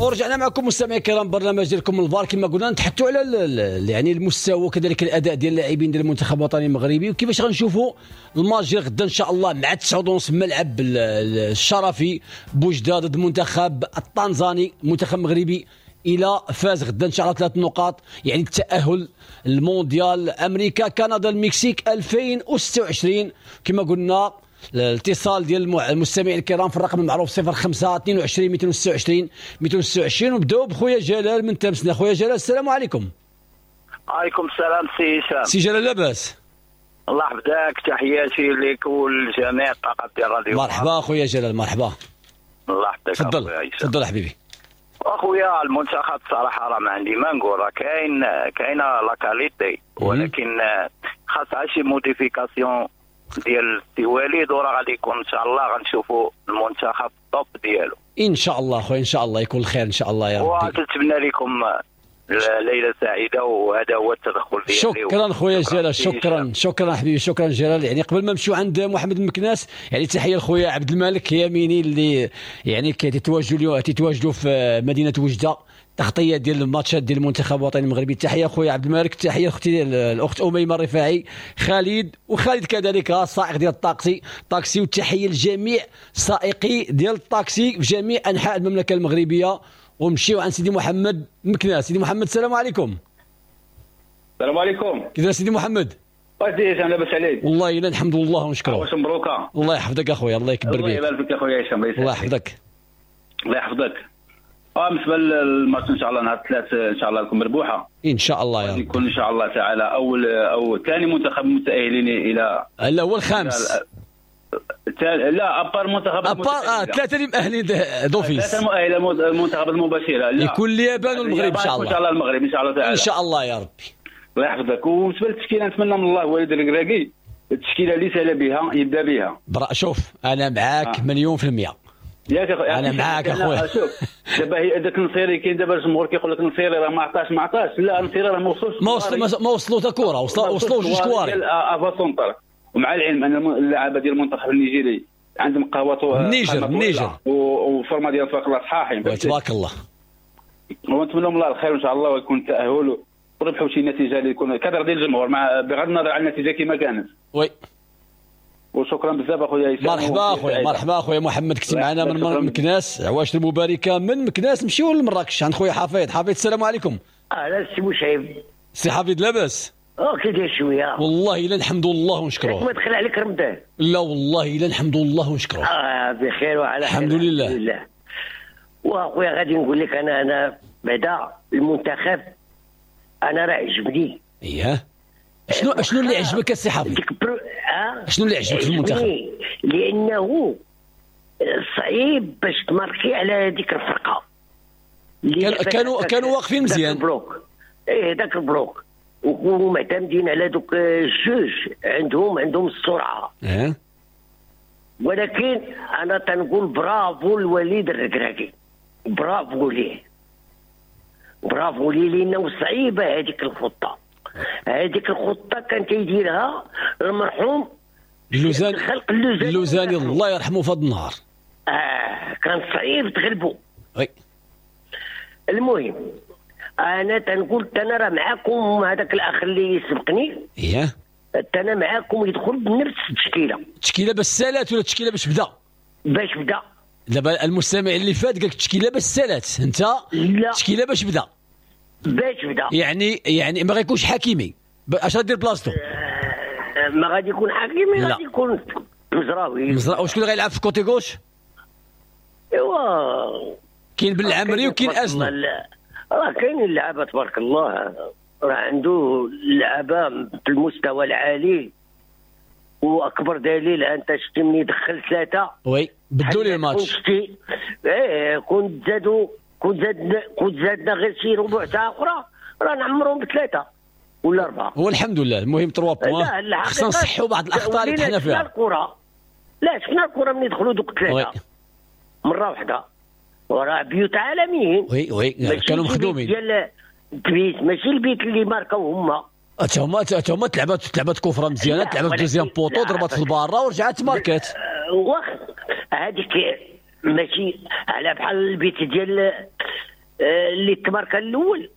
ورجعنا معكم مستمعي الكرام، برنامج ديالكم الفار. كما قلنا نتحدثوا على يعني المستوى وكذلك الاداء ديال اللاعبين ديال المنتخب الوطني المغربي، وكيفاش غنشوفوا الماتش ديال غدا ان شاء الله مع 9:30 ملعب الشرفي بوجده ضد المنتخب التنزاني. المنتخب المغربي الى فاز غدا ان شاء الله 3 نقاط، يعني التاهل المونديال امريكا كندا المكسيك 2026. كما قلنا الاتصال ديال المستمعين الكرام في الرقم المعروف 05 22 226 226. ونبداو بخويا جلال من تامسنا. خويا جلال السلام عليكم. عليكم السلام سي هشام. سي جلال لاباس؟ الله يحفظك، تحياتي لك ولجميع الطاقم ديال الراديو. مرحبا خويا جلال، مرحبا. الله يحفظك. تفضل تفضل حبيبي. اخويا المنتخب صراحة راه ما عندي ما نقول، راه كاينه la qualité، ولكن خاصها شي modification ديال السي وليد، وراه غادي يكون ان شاء الله غنشوفوا المنتخب top ديالو ان شاء الله. خويا ان شاء الله يكون الخير ان شاء الله يا ربي. وتتمنى لكم ليلة سعيدة، وهذا هو التدخل ديالي. شكرا خويا جلال، شكرا شكرا حبيبي، شكرا جلال. يعني قبل ما نمشيو عند محمد المكناس، يعني تحية لخويا عبد الملك يميني اللي يعني كيتواجدوا اليوم، تيتواجدوا في مدينة وجده، تغطيه ديال الماتشات ديال المنتخب الوطني المغربي. تحية خويا عبد الملك، تحية اختي الاخت اميمة الرفاعي، خالد وخالد كذلك السائق ديال الطاكسي، وتحية لجميع سائقي ديال الطاكسي في جميع انحاء المملكة المغربية. ونمشيو عند سيدي محمد مكناس. سيدي محمد السلام عليكم. السلام عليكم. كيف سيدي محمد؟ واش داير هشام، لاباس عليك؟ والله الا الحمد لله ونشكره. واش مبروكه؟ الله يحفظك اخويا، الله يكبر بك. الله يبارك فيك اخويا هشام، الله يحفظك. الله يحفظك. بالنسبة للماتش ان شاء الله نهار الثلاث ان شاء الله لكم مربوحه ان شاء الله يا رب. يكون ان شاء الله تعالى اول او ثاني منتخب متاهلين الى لا هو الخامس. لا à part منتخب à part ثلاثة اللي مؤهلين d'office، ثلاثة مؤهلة المنتخب المباشرة. لا يكون اليابان والمغرب ان شاء الله. ان شاء الله المغرب ان شاء الله تعالى ان شاء الله يا ربي. الله يحفظك. وبالنسبة للتشكيله نتمنى من الله وليد الركراكي التشكيلة اللي سال بها يبدا بها. شوف انا معاك مليون في المية. ياك اخويا انا معاك اخويا. شوف دابا هي هذاك النصيري كاين دابا الجمهور كيقول لك النصيري راه ما عطاش ما عطاش. لا النصيري راه ما وصلش، ما وصلوا حتى كره، وصلوا جوج كواري avant-centre. ومع العلم ان اللعابه ديال المنتخب النيجيري عندهم قهوة النيجر و forme ديال تبارك الله صحاحين تبارك الله. ونتمنى لهم الله الخير ان شاء الله، ويكون التاهل وربحوا شي نتيجة اللي يكون كدر ديال الجمهور، مع بغض النظر عن النتيجة كما كانت. oui وشكرا بزاف اخويا هشام. مرحبا اخويا، مرحبا اخويا محمد، كنتي معنا من مكناس. عواشر المباركة من مكناس. نمشيو لمراكش عند خويا حفيظ. حفيظ السلام عليكم. اهلا سي بوشعيب. سي حفيظ لاباس؟ كي داير شوية؟ والله الا الحمد لله ونشكروه. ما دخل عليك رمضان؟ لا والله الا الحمد لله ونشكروه. بخير وعلى خير الحمد لله. الحمد لله. واخويا غادي نقول لك انا بعدا المنتخب انا راه عجبني. اييه شنو اللي عجبك السي حفيظ؟ شنو اللي عجبك في المنتخب؟ لانه صعيب باش تماركي على هذيك الفرقة. كانوا واقفين مزيان. ال bloc. ايه ذاك ال bloc ومعتمدين على دوك الجوج عندهم السرعة. ولكن انا تنقول برافو الوليد الركراكي، برافو ليه، برافو ليه، لانه صعيبة هذيك الخطة. هذيك الخطة كان تيديرها المرحوم اللوزاني، اللوزاني الله يرحمه في هذا النهار. كان صعيب تغلبو. oui المهم انا تنقول انا راه معاكم هذاك الاخ اللي سبقني. اييه انا معاكم يدخل بنفس التشكيلة. التشكيلة باش سالات ولا التشكيلة باش بدا؟ باش بدا. دابا المستمع اللي فات قال لك التشكيلة باش سالات، انت التشكيلة باش بدا. باش بدا يعني ما غيكونش حكيمي، اش غادير بلاصتو؟ ما غادي يكون حكيمي، غادي يكون مزراوي. مزراوي. وشكون اللي غيلعب في côté gauche؟ ايوا كاين بالعمري وكاين ازنو. راه كاينين اللعابه تبارك الله، راه عنده اللعابه في المستوى العالي، واكبر دليل انت شتي ملي دخل ثلاثة oui بدلوا لي الماتش. ايه كنت زادوا، كنت زادنا غير شي ربع ساعة اخرى راه نعمرهم بثلاثة ولا اربعة. هو الحمد لله المهم 3 points. خصنا نصحوا بعض الاخطاء اللي طحنا فيها. الكره لا شفنا الكره ملي دخلوا دوك ثلاثة مرة واحدة وراه بيوت عالميين. oui oui كانوا مخدومين ديال البيت، ماشي البيت اللي ماركاو هما. حتى هما تلعبات coup franc مزيانه، تلعبات deuxième poteau، ضربات في الباره ورجعت ماركات. واخ هذيك ماشي على بحال البيت ديال اللي تماركا الاول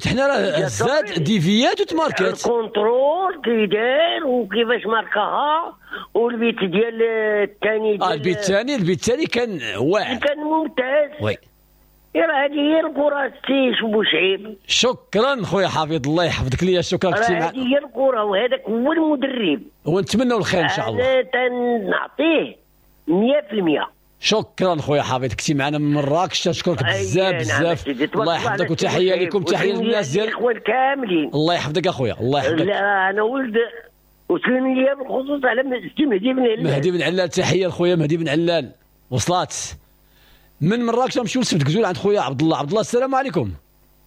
حنا راه زاد déviات وتماركات، ال contrôle كي دار وكيفاش ماركاها، والبيت ديال الثاني، البيت الثاني كان واعر، كان ممتاز. oui راه هذه هي الكره سي بوشعيب. شكرا خويا حفيظ، الله يحفظك ليا، شكرا كثير. هذه هي الكره وهذاك هو المدرب، ونتمنوا الخير ان شاء الله. انا تنعطيه 100%. شكرا خويا حفيظ، كنتي معنا من مراكش، تشكرك بزاف بزاف، الله يحفظك، وتحية لكم، تحية للناس ديال الاخوان كاملين. الله يحفظك اخويا، الله يحفظك. لا انا ولد وسلم لي بالخصوص على مهدي بن علال. مهدي بن علال، تحية لخويا مهدي بن علال. وصلات من مراكش نمشيو لسبت كزول عند خويا عبد الله. عبد الله السلام عليكم.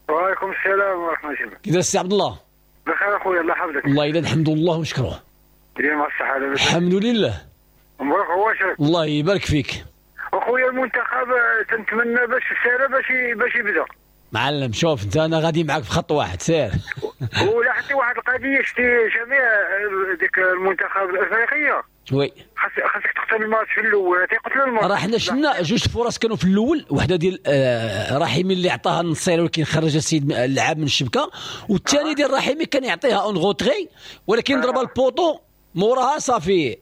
وعليكم السلام ورحمة الله. كي داير السي عبد الله؟ بخير اخويا، الله يحفظك. والله الا الحمد لله ونشكروه. ديما الصحة لاباس. الحمد لله. مبروك عواشرك. الله يبارك فيك. اخويا المنتخب تنتمنى باش السنة باش يبدا. معلم شوف انت، انا غادي معاك في خط واحد سير. ولا حتى واحد القضية، شتي جميع ديك المنتخب الافريقية oui خاصك تقتل الماتش في الاول، تيقتلوا الماتش. راه حنا شفنا جوج فرص كانوا في الاول، وحده ديال رحيمي اللي عطاها النصيري ولكن خرج السيد اللعاب من الشبكة، والثاني ديال رحيمي كان يعطيها en retrait ولكن ضرب ال poteau موراها صافي.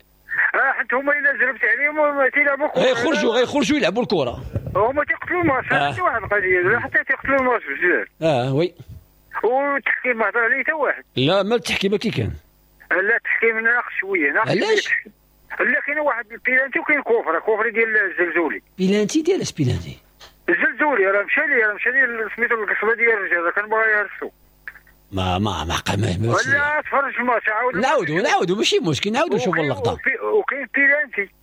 حيت هما الا زربت عليهم تيلعبوا كره، غيخرجوا يلعبوا الكره، هما تيقتلوا الماتش. حتى واحد القضية حتى تيقتلوا الماتش بزاف. oui والتحكيم ما هضر عليه حتى واحد. لا ما التحكيم كي كان، لا التحكيم ناقص شوية، ناقص. علاش؟ لا كاين واحد البيلانتي وكاين coffret ديال الزلزولي. بيلانتي ديال اش بيلانتي؟ الزلزولي راه مشى لي سميتو القصبة ديال الرجال، كان باغي يهرسو. ما ما ما ما ولا تفرج في الماتش، عاود نعاودوا ماشي مشكل، نعاودوا نشوفوا اللقطة. وكاين بيلانتي.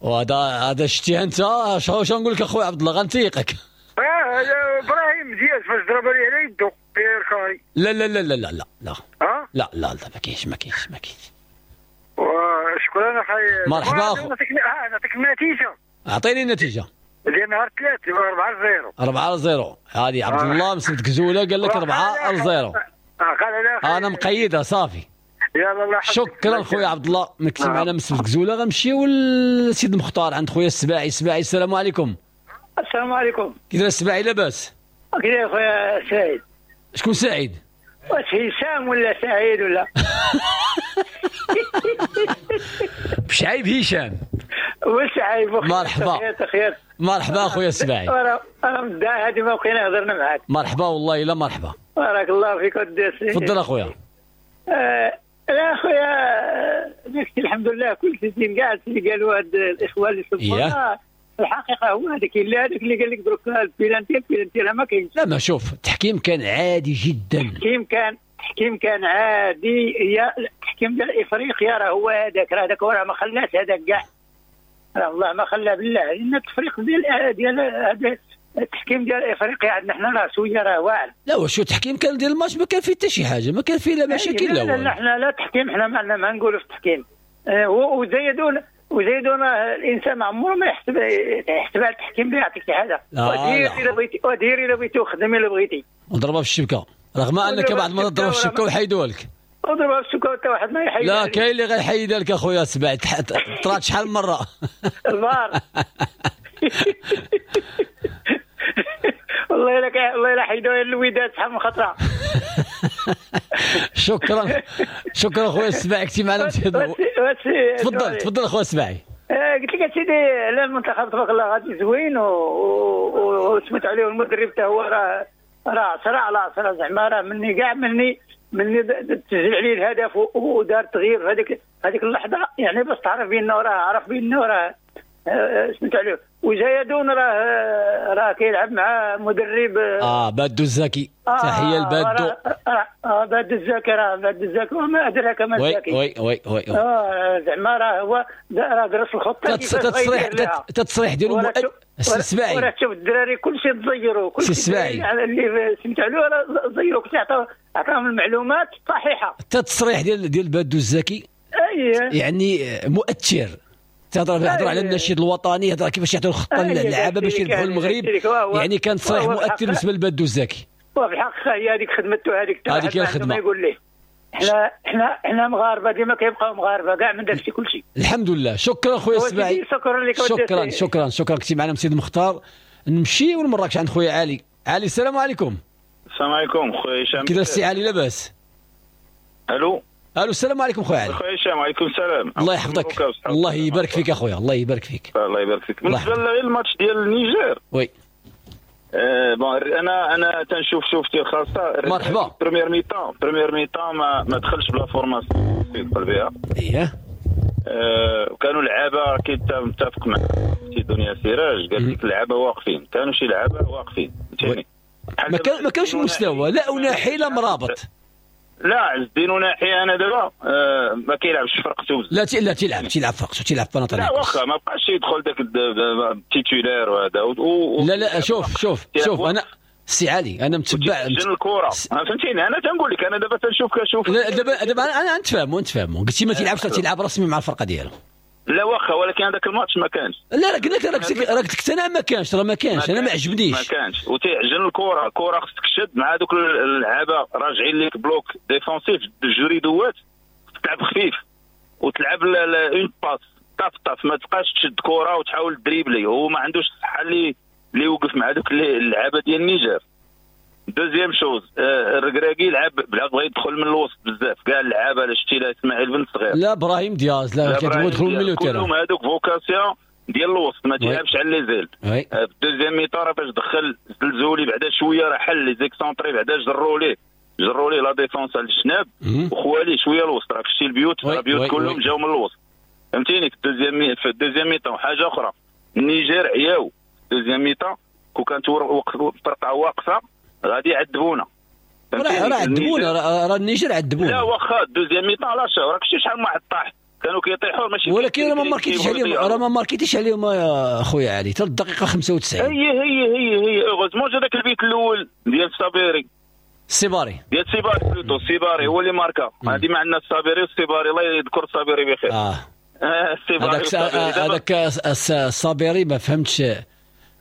وهذا شتي انت، شنو نقول لك اخويا عبد الله، غنتيقك. ابراهيم دياز فاش ضرب لي على يدو بيركاي. لا لا لا لا لا لا لا لا لا لا ما كاينش ما كاينش ما كاينش. وشكرا اخي. مرحبا اخو. نعطيك النتيجة. اعطيني النتيجة. ديال نهار 3 4-0. 4-0. هذه عبد الله مسد كزوله قال لك 4-0. انا مقيدها صافي. يلا الله. شكرا خويا عبد الله، مكتب معنا مسد كزوله. غنمشيو لسيد المختار عند خويا السباعي. السباعي السلام عليكم. السلام عليكم. كي داير السباعي لاباس؟ كي داير خويا سعيد؟ شكون سعيد؟ واش هشام ولا سعيد ولا؟ بشعيب هشام. وشعيب. مرحبا. مرحبا اخويا السباعي. انا مدعي هذه ما بقينا هضرنا معاك. مرحبا والله الا مرحبا. بارك الله فيك ودي. تفضل اخويا. لا اخويا داكشي الحمد لله كل شيء كاع اللي قالوا هاد الاخوان اللي سبقونا الحقيقة هو هذاك اللي هذاك اللي قال لك دروك ال penalty ال penalty راه ما كاينش. لا ما شوف التحكيم كان عادي جدا. التحكيم كان عادي. يا التحكيم ديال افريقيا راه هو هذاك، راه هذاك راه ما خلاش هذاك كاع، راه والله ما خلاه بالله. لان التفريق ديال هذا التحكيم ديال افريقيا عندنا حنا راه شوية راه واعر. لا واش التحكيم كان ديال الماتش ما كان فيه حتى شي حاجة، ما كان فيه لا مشاكل لا والو. لا حنا لا تحكيم، حنا ما عندنا ما نقولوا في التحكيم. وزيدون الانسان ما عمره ما يحسب على التحكيم اللي يعطيك شي حاجة. ودير الا بغيتي، ودير الا بغيتي، وخدم الا بغيتي. وضربها في الشبكة، رغم انك بعض المرات تضرب في الشبكة ويحيدوها لك. وضربها في الشبكة حتى واحد ما يحيدها. لا كاين اللي غيحيدها لك اخويا سبع، طرات شحال من مرة. الفار. والله الا والله الا حيدوها الوداد شحال من خطره. شكرا شكرا خويا السباعي، كنتي معنا. تفضل تفضل اخويا السباعي. قلت لك اسيدي لا المنتخب تبارك الله غادي زوين وسمعت عليه المدرب حتى هو راه 10 على 10 زعما، راه مني كاع مني تسجل عليه الهدف ودار تغيير في هذيك اللحظة، يعني باش تعرف بانه راه عرف بانه راه سمعت عليه. وزايدون راه كيلعب مع مدرب بادو الزكي. تحية لبادو. بادو الزكي، راه بادو الزكي وما ادراك ما الزكي. oui oui oui زعما راه هو راه درس الخطة. التصريح ديالو السباعي. وراه تشوف الدراري كلشي تزيروا، كلشي السباعي اللي سمعت عليه راه زيروا، كلشي عطاهم المعلومات الصحيحة. التصريح ديال بادو الزكي يعني مؤثر. تهضر على النشيد الوطني، هضر كيفاش يعطيو الخطة للعابه باش يربحوا المغرب. يعني كان تصريح مؤثر بالنسبة لبادو الزكي. وفي الحقيقة هي هذيك خدمته، هذيك هي الخدمة. يقول ليه حنا مغاربة ديما كيبقاو مغاربة كاع من داكشي كلشي. الحمد لله. شكرا خويا السباعي. شكرا لك. شكرا شكرا شكرا. كنتي معنا سيد مختار. نمشيو لمراكش عند خويا علي. علي السلام عليكم. السلام عليكم خويا هشام. كي داير السي علي لاباس؟ الو الو السلام عليكم خويا علي. خويا هشام وعليكم السلام. الله يحفظك، الله يبارك فيك اخويا، الله يبارك فيك. الله يبارك فيك. بالنسبة للماتش ديال النيجر oui bon انا تنشوف شوفتي الخاصة. مرحبا. première mi-temps ما دخلش ب la formation يدخل بها. اييه كانوا لعابه كيتفق مع سي دنيا سراج، قال لك اللعابه واقفين، كانوا شي لعابه واقفين فهمتيني. ما كانش مستوى لا أوناحي لا مرابط. لا عز الدين أوناحي انا دابا ما كيلعبش في فرقته بزاف. لا تيلعب فرقته، تيلعب باناتينايكوس. لا واخا ما بقاش يدخل داك ال titulaire وهذا لا لا شوف شوف شوف انا سي علي انا متبع الكره فهمتيني. انا تنقول لك انا دابا تنشوف كنشوف دابا انا نتفاهموا. قلتي ما تيلعبش تيلعب رسمي مع الفرقة ديالو. لا واخا ولكن هذاك الماتش ما كانش. لا راه قلت لك راك تقتنع ما كانش، راه ما كانش. انا ما عجبنيش، ما كانش. وتيعجن الكره، الكره خصك تشد مع دوك اللعابه راجعين ليك bloc défensif جريدوات، تلعب خفيف وتلعب une passe طاف طاف، ما تبقاش تشد كره وتحاول dribbler. هو ما عندوش الصحة اللي يوقف مع دوك اللعابه ديال النيجر. deuxième chose الركراكي لعب بغى يدخل من الوسط بزاف كاع اللعابه. لا شتي لا اسماعيل بن صغير لا ابراهيم دياز لا كيدخلوا من ال milieu terrain، كلهم هذوك vocation ديال الوسط، ما تيلعبش على les ailes. في ال deuxième mi-temps راه فاش دخل زلزولي بعدا شوية راه حل les excentrés، بعدا جروا ليه la défense على الجناب وخواليه شوية الوسط. راك شتي البيوت، البيوت كلهم جاو من الوسط فهمتيني. في ال deuxième mi-temps حاجة اخرى، النيجر عياو deuxième mi-temps، كون كانت فرقه واقفة غادي يعذبونا. راه عذبونا، راه النيجر عذبونا. لا واخا deuxième mi-temps لا راك شتي شحال من واحد طاح، كانوا كيطيحوا ماشي. ولكن راه ما ماركيتيش عليهم، راه ما ماركيتيش عليهم يا خويا علي حتى الدقيقة 95. هي هي هي هي heureusement جا داك البيت الاول ديال الصابيري، السيباري ديال السيباري plutôt، السيباري هو اللي ماركا. هذه ما عندنا الصابيري والسيباري، الله يذكر الصابيري بخير. هذاك الصابيري ما فهمتش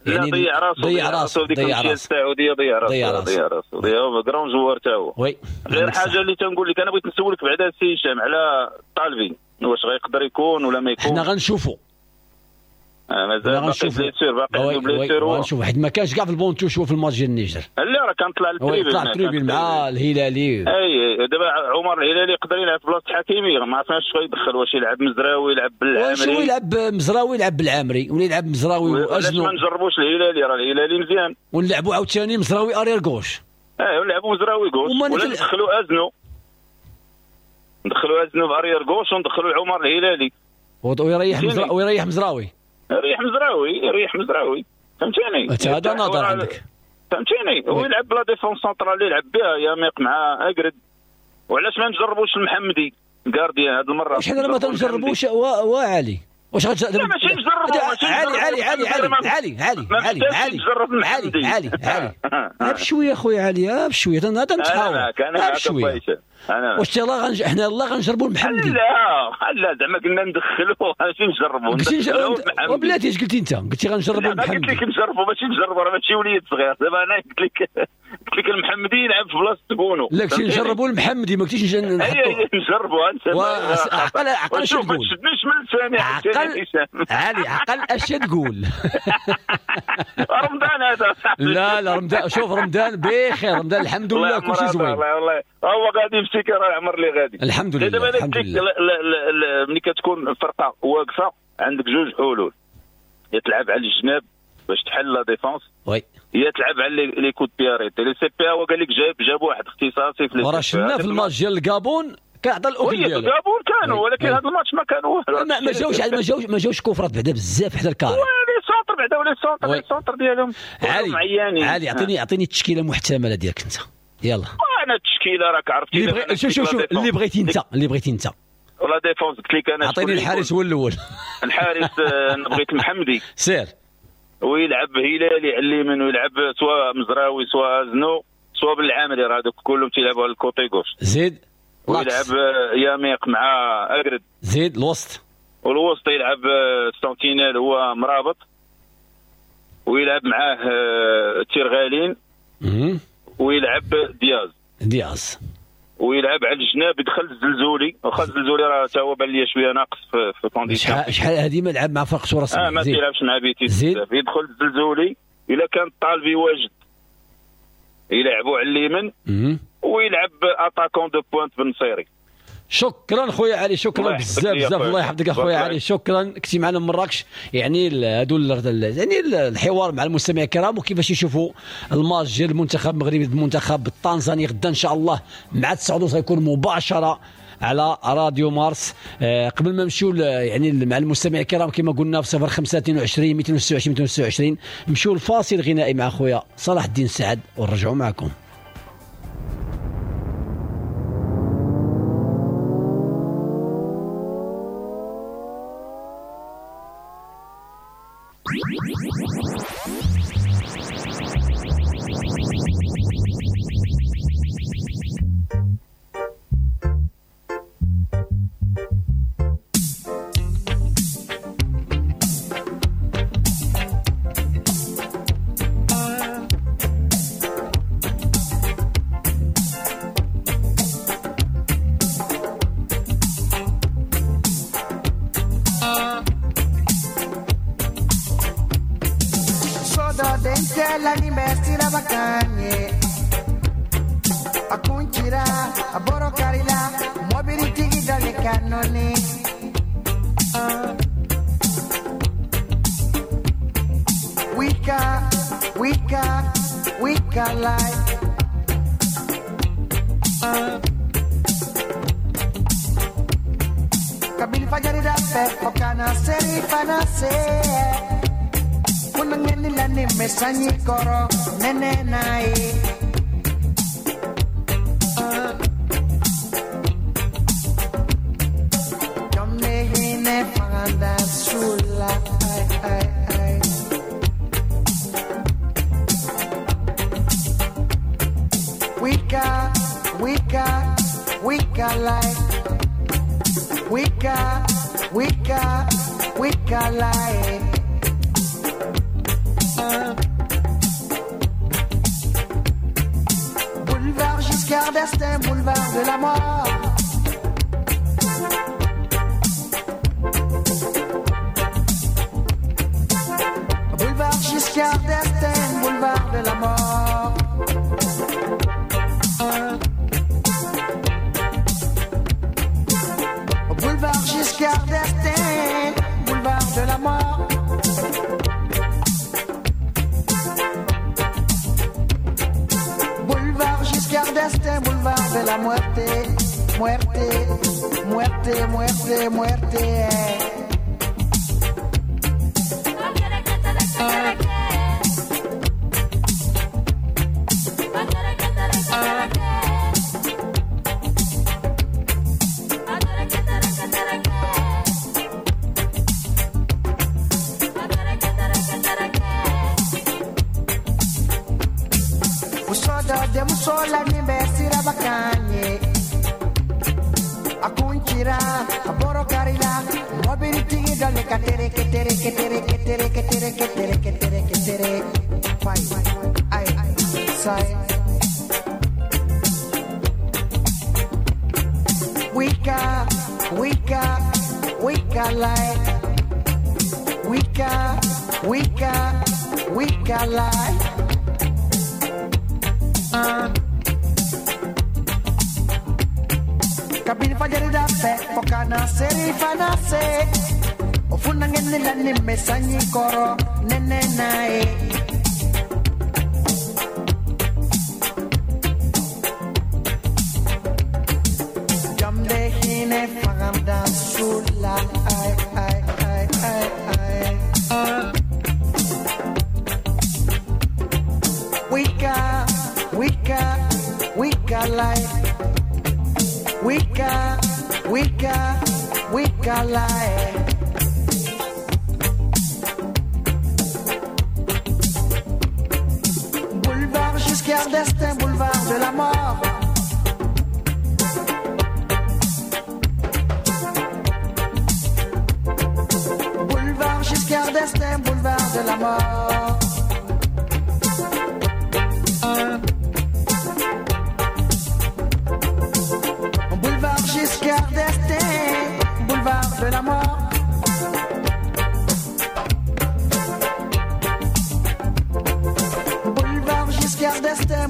يعني، ضيع راسو ضيع راسو السعودية، ضيع راسو grand joueur تا هو. oui غير حاجة اللي تنقول لك انا، بغيت نسولك بعدا سي هشام على طالبي، واش غيقدر يكون ولا ما يكون؟ حنا غنشوفوا مازال باقي blessure، باقي عنده blessure. غنشوفوا حيت ما كانش كاع في ال banc de touche في الماتش ديال النيجر. لا راه كان طلع لل tribune، طلع لل tribune مع الهلالي. اي دابا عمر الهلالي يقدر يلعب في بلاصة حكيمي، ما عرفناش اش غيدخل، واش يلعب مزراوي يلعب بالعامري، واش هو يلعب مزراوي يلعب بالعامري ولا يلعب مزراوي وازنو. ما نجربوش الهلالي، راه الهلالي مزيان. ونلعبوا عاوتاني مزراوي arrière gauche. ونلعبوا مزراوي gauche ولا ندخلوا ازنو، ندخلوا ازنو ب arrière gauche وندخلوا عمر الهلالي ويريح مزراوي. ريح مزراوي فهمتيني. هذا نظر عندك فهمتيني. هو يلعب ب la défense centrale اللي يلعب بها ياميق مع اكرد. وعلاش ما نجربوش المحمدي gardien هذه المرة؟ واش حنا ما تنجربوش وعلي؟ واش غتجرب؟ ماشي نجربوا. علي علي علي علي علي علي علي علي علي علي بشوية خويا علي، بشوية تنتحاور بشوية. واش يلاه حنا يلاه غنجربوا المحمدي؟ لا لا زعما قلنا ندخلوه ماشي نجربوا. وبلاتي اش قلتي انت؟ قلتي غنجربوا المحمدي. قلت لك نجربوا ماشي نجربوا، راه ماشي وليد صغير. دابا انا قلت لك المحمدي يلعب في بلاصة بونو. لا قلتي نجربوا المحمدي، ما قلتيش نحطوا. نجربوا انت. عقل عقل اش تقول؟ ما تشدنيش من لساني عقل علي، عقل اش تقول؟ رمضان هذا. لا لا رمضان، شوف رمضان بخير، رمضان الحمد لله كلشي زوين. والله هو غادي مسكين راه العمر اللي غادي الحمد لله. الحمد لله. ملي كتكون الفرقة واقفة عندك جوج حلول، يا تلعب على الجناب باش تحل la défense، oui، يا تلعب على les coups de pied arrêtés. les CPA هو قال لك جاب واحد اختصاصي في وراه شفنا في الماتش ديال الكابون كيعطى الاكل ديالو. الكابون كانوا، ولكن هذا الماتش ما كان والو. ما جاوش كفرات بعدا بزاف حدا ال carré. les centres بعدا، ولا les centres ديالهم علي علي اعطيني التشكيلة المحتملة ديالك انت. يلا انا التشكيلة راك عرفتي. شوف شوف اللي بغيتي انت، اللي بغيتي انت. و la défense قلت لك انا عطيني الحارس هو الاول. الحارس بغيت المحمدي سير، ويلعب هلالي على اليمين، ويلعب سواء مزراوي سواء زنو سواء بالعامري، راه هذوك كلهم تيلعبوا على ال côté gauche. زيد ويلعب ياميق مع اكرد. زيد الوسط، والوسط يلعب sentinelle هو مرابط، ويلعب معاه تيرغالين، ويلعب دياز، ويلعب على الجناب يدخل الزلزولي. واخا الزلزولي راه تا هو بان لي شوية ناقص في condition. شحال هذه ما لعب مع فرقته رسمي. ما تيلعبش مع بيتيس. يدخل الزلزولي، الا كان الطالبي واجد يلعبوا على اليمين ويلعب attaquant de pointe بالنصيري. شكرا خويا علي، شكرا بزاف بزاف، الله يحفظك اخويا علي، شكرا. كنتي معنا من مراكش. يعني هادو يعني الحوار مع المستمعين الكرام وكيفاش يشوفوا الماتش ديال المنتخب المغربي ضد المنتخب التنزاني غدا ان شاء الله مع 9:30 غيكون مباشرة على راديو مارس. قبل ما نمشيو يعني مع المستمعين الكرام كما قلنا في 0522 226 226 نمشيو لفاصل غنائي مع خويا صلاح الدين سعد ونرجعوا معكم.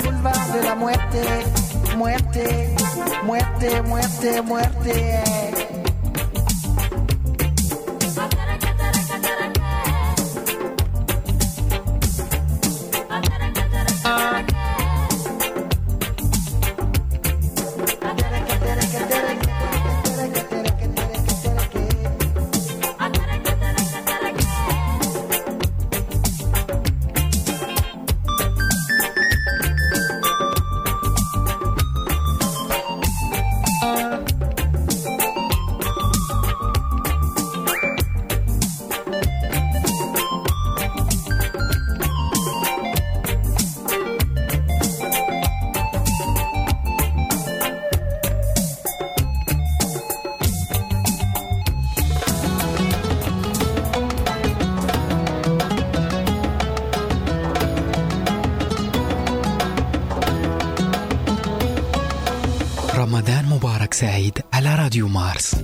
Boulevard Muerte, muerte, muerte, muerte, muerte. رمضان مبارك سعيد على راديو مارس.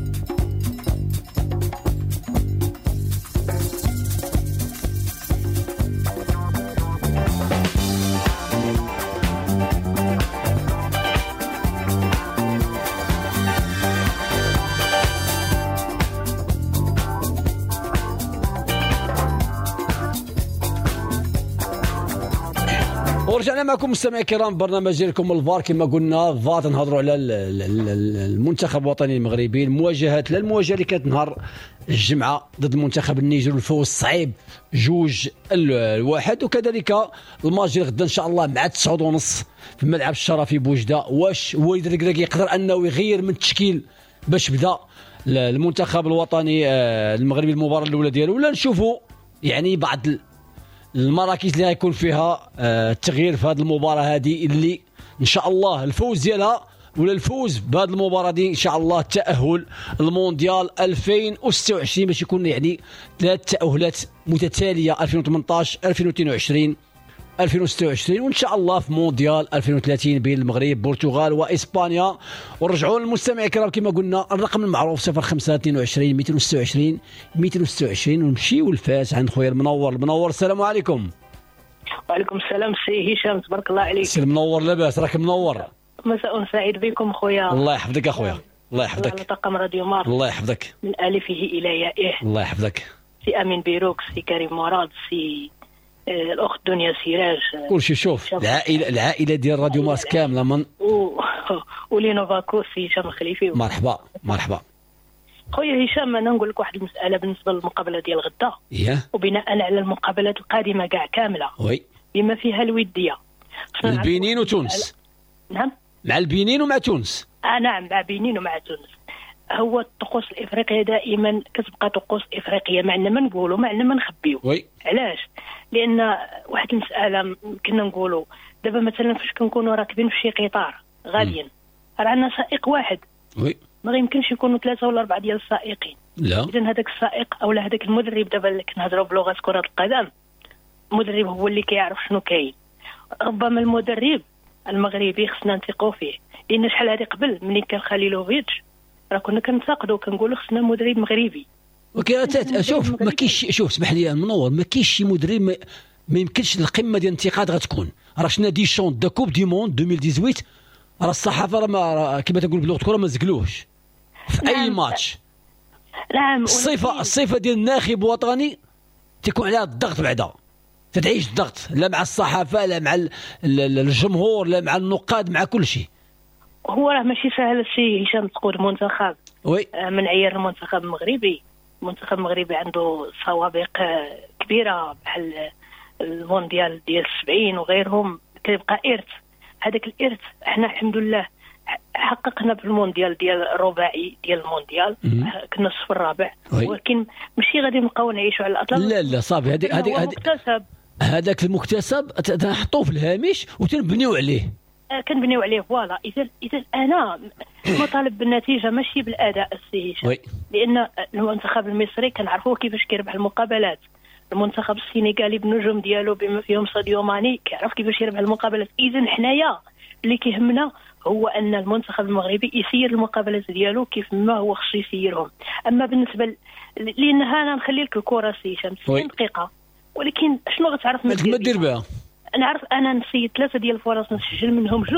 ورجعنا معكم مستمعي الكرام برنامج ديالكم الفار. كما قلنا فار نهضروا على المنتخب الوطني المغربي، المواجهات، لا المواجهة اللي كانت نهار الجمعة ضد المنتخب النيجر والفوز الصعيب 2-1، وكذلك الماتش ديال غدا ان شاء الله مع 9:30 في الملعب الشرفي بوجده. واش وليد الركراكي يقدر انه يغير من التشكيل باش بدا المنتخب الوطني المغربي المباراة الاولى ديالو، ولا نشوفوا يعني بعض المراكز اللي غيكون فيها التغيير في هذه المباراة هذه اللي ان شاء الله الفوز ديالها ولا الفوز بهذه المباراة دي ان شاء الله التاهل المونديال 2026 باش يكون يعني 3 تاهلات متتالية 2018 2022 2026، وان شاء الله في مونديال 2030 بين المغرب البرتغال واسبانيا. ونرجعوا للمستمعين الكرام كما قلنا الرقم المعروف 05 22 226 226، ونمشيو لفاس عند خويا المنور. المنور السلام عليكم. وعليكم السلام سي هشام، تبارك الله عليك. سي المنور لاباس؟ راك منور. مساء سعيد بكم خويا. الله يحفظك اخويا، الله يحفظك. على طاقم راديو مارس. الله يحفظك. من الفه الى يائه. الله يحفظك. سي امين بيروك، سي كريم مراد، سي الاخت دنيا سراج، كلشي. شوف العائلة ديال راديو مارس كاملة من ولينوفاكو سي هشام الخليفي. مرحبا مرحبا خويا هشام. انا نقول لك واحد المسالة بالنسبة للمقابله ديال غدا، وبناء على المقابلات القادمة كاع كاملة، oui، بما فيها الودية البنين وتونس. نعم، مع البنين ومع تونس. نعم، مع بنين ومع تونس. هو الطقوس الافريقية دائما كتبقى طقوس افريقية، ما عندنا ما نقولوا، ما عندنا ما نخبيو. oui. علاش؟ لان واحد المسالة كنا نقولوا دابا مثلا فاش كنكونوا راكبين في شي قطار غاديين، راه عندنا سائق واحد، oui، ما يمكنش يكونوا 3 ولا 4 ديال السائقين. لا، اذا هذاك السائق او هذاك المدرب، دابا اللي كنهضروا بلغه كره القدم، المدرب هو اللي كيعرف شنو كاين. ربما المدرب المغربي خصنا نثقوا فيه، لان شحال هذه قبل ملي كان خليلوفيتش راه كنا كنتقدوا كنقولوا خصنا مدرب مغربي. شوف ما كاينش، شوف اسمح لي منور، ما كاينش شي مدرب ما يمكنش القمه ديال الانتقاد غتكون. راه شنا ديشون دا coupe du monde 2018، راه الصحافة راه كما تنقول بلغه الكره ما زقلوش في اي ماتش. نعم، الصفة ديال الناخب الوطني تيكون عليها الضغط، بعدا تتعيش الضغط، لا مع الصحافة لا مع الجمهور لا مع النقاد، مع كل شيء. هو راه ماشي سهل السي هشام تقود منتخب، oui، من عيار المنتخب المغربي. المنتخب المغربي عنده سوابق كبيرة بحال المونديال ديال 70 وغيرهم، كيبقى ارث. هذاك الارث احنا الحمد لله حققنا في المونديال ديال الرباعي ديال المونديال، كنا الصف الرابع، ولكن ماشي غادي نبقاو نعيشوا على الاطلال. لا لا صافي، هذه هذاك المكتسب تنحطوه في الهامش وتنبنيو عليه، كنبنيو عليه. voilà. اذا انا مطالب بالنتيجة ماشي بالاداء السي هشام، لان المنتخب المصري كنعرفوه كيفاش كيربح المقابلات، المنتخب السنغالي بالنجوم ديالو بما فيهم ساديو ماني كيعرف كيفاش يربح المقابلات. اذا حنايا اللي كيهمنا هو ان المنتخب المغربي يسير المقابلات ديالو كيف ما هو خصو يسيرهم. اما بالنسبة لان انا نخلي لك الكره سي هشام 60 دقيقة، ولكن شنو غتعرف ما دير بها؟ نعرف انا نسيت 3 ديال الفرص نسجل منهم 2،